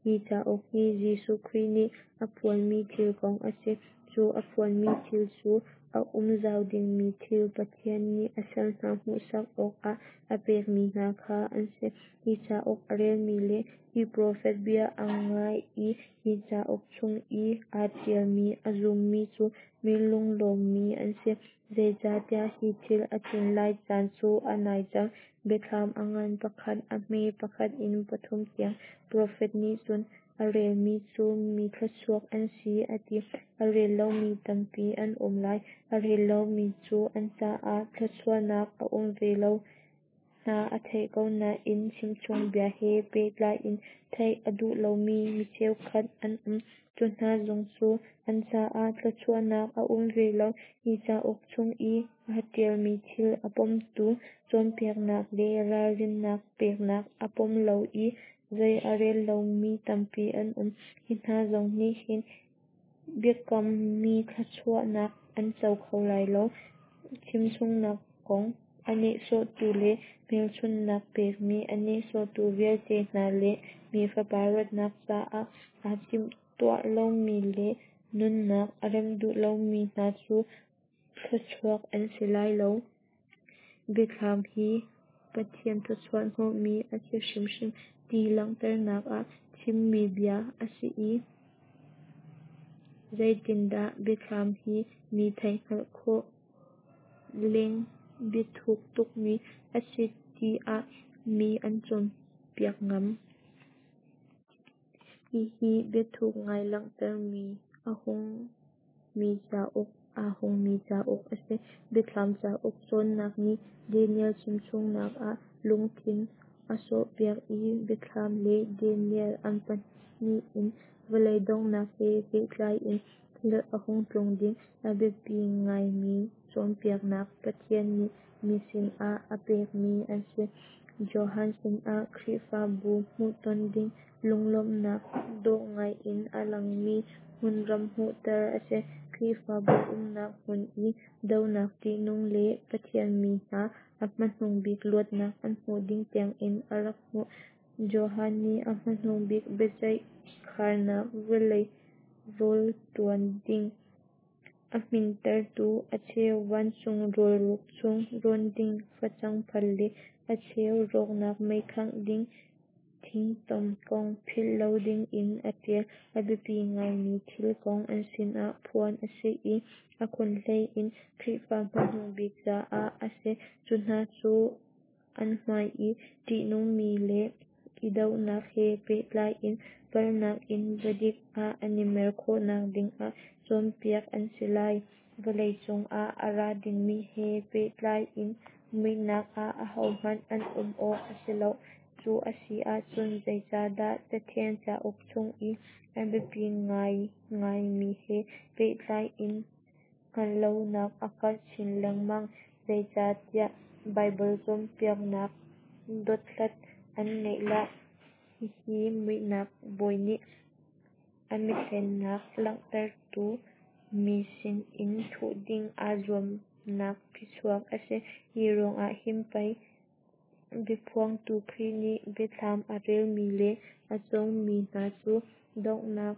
Hi cauk hi Jesuh Khrih nih a phuanmi thil kong a si. Cu a phuanmi thil cu a um zau dingmi thil Pathian nih a sal hna hmuhsak awkah a pekmi hna kha an si. Hi cauk a relmi le hi profet bia a ngai i hi cauk chung i aa ṭialmi a zummi cu mi lunglawmmi an si, zeicahtiah hi thil a tlun lai caan cu a nai cang. Biathlam a ngan pakhat a hme pakhat in pathum tiang. Profet nih cun a relmi cu mi thluachuak an si a ti. A rel lomi tampi an um lai. A rel lomi cu an caah thluachuahnak a um ve lo. Hna a theih ko nain chimchungbia he pehtlai in theih a duh lomi mi cheukhat an um. Cu hna zong cu an caah thluachuahnak a um ve lo. Hi cauk chung i aa ṭialmi thil a pomtu, cawnpiaknak le ralrinnak peknak a pom lo i zei a rel lomi tampi an um. Hi hna zong nih hin biakammi thluachuahnak an co kho lai lo. Chimchungnak kong a nehsawhtu le hmelchunhnak pekmi a nehsawhtu vialte hna le Mi Fapa ratnak caah aa timhtuah lomi le nunnak a remh duh lomi hna cu thluachuak an si lai lo. Biathlam hi Pathian thawchuah hnawhmi a si hrimhrim ti langhternak ah chimmi bia a si i zeitindah Biathlam hi mi theihhngalh khawh leng biathuk tukmi a si tiah mi an cawnpiak ngam? Hihi biathuk ngai langhtermi a hungmi cauk aa hungmi cauk a si. Biathlam cauk cawnnak nih Daniel chimchungnak ah lungthin a sawhpiak i Biathlam le Daniel an pahnih in vawlei donghnak he pehtlai in thil a hung tlung ding a biapi ngaimi cawnpiaknak Pathian nih mi sinah a pekmi an si. Johan sinah Khrihfabu hmuhton ding lunglawmhnak dawh ngai in a langmi hmunram hmuhter a si. Khrihfabu umnak hmun i dohnak ṭihnung le Pathian mi hna a hmanung bik luatnak an hmuh ding tiangin a rak hmuh. Johan nih a hmanung bik biaceih kharnak vawlei rawl ṭuan ding a hmintertu, a cheu vancung rawl ruk chung rawn ding facang phal le a cheu rawknak mei khangh ding thingtom kong philh lo dingin a ṭial. A biapi ngaimi thil kong an sinah phuan a si i a khunhlei in Khrihfa hmanung bik caah a si. Cu hna cu an hmai i ṭihnungmi le i dohnak he pehtlai in palhnak in biadik ah an i mer khawhnak dingah cawnpiak an si lai. Vawleicung ah a ra dingmi he pehtlai in muihnak ah ahohmanh an um awk a si lo. Cu a si ahcun zeicahdah Cathiang cauk chung i a biapi ngaingaimi he pehtlai in hngalh lonak a karh chin lengmang? Zeicahtiah Baibal cawnpiaknak dothlat an ngeih lo. Hihi muihnak bawi nih a mihlennak langhtertu mi sinin thuh ding aa zuamnak phichuak a si. Hi ruangah hin pei biaphuangtu Khrih nih Biathlam a relmi le a cawngmi hna cu donghnak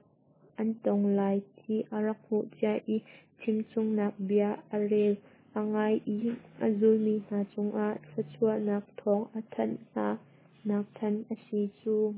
an tong lai ti a rak hmuh cia i chimchungnak bia a rel, a ngai i a zulmi hna cungah thluachuahnak thawng a thanh hna nak than a si cu.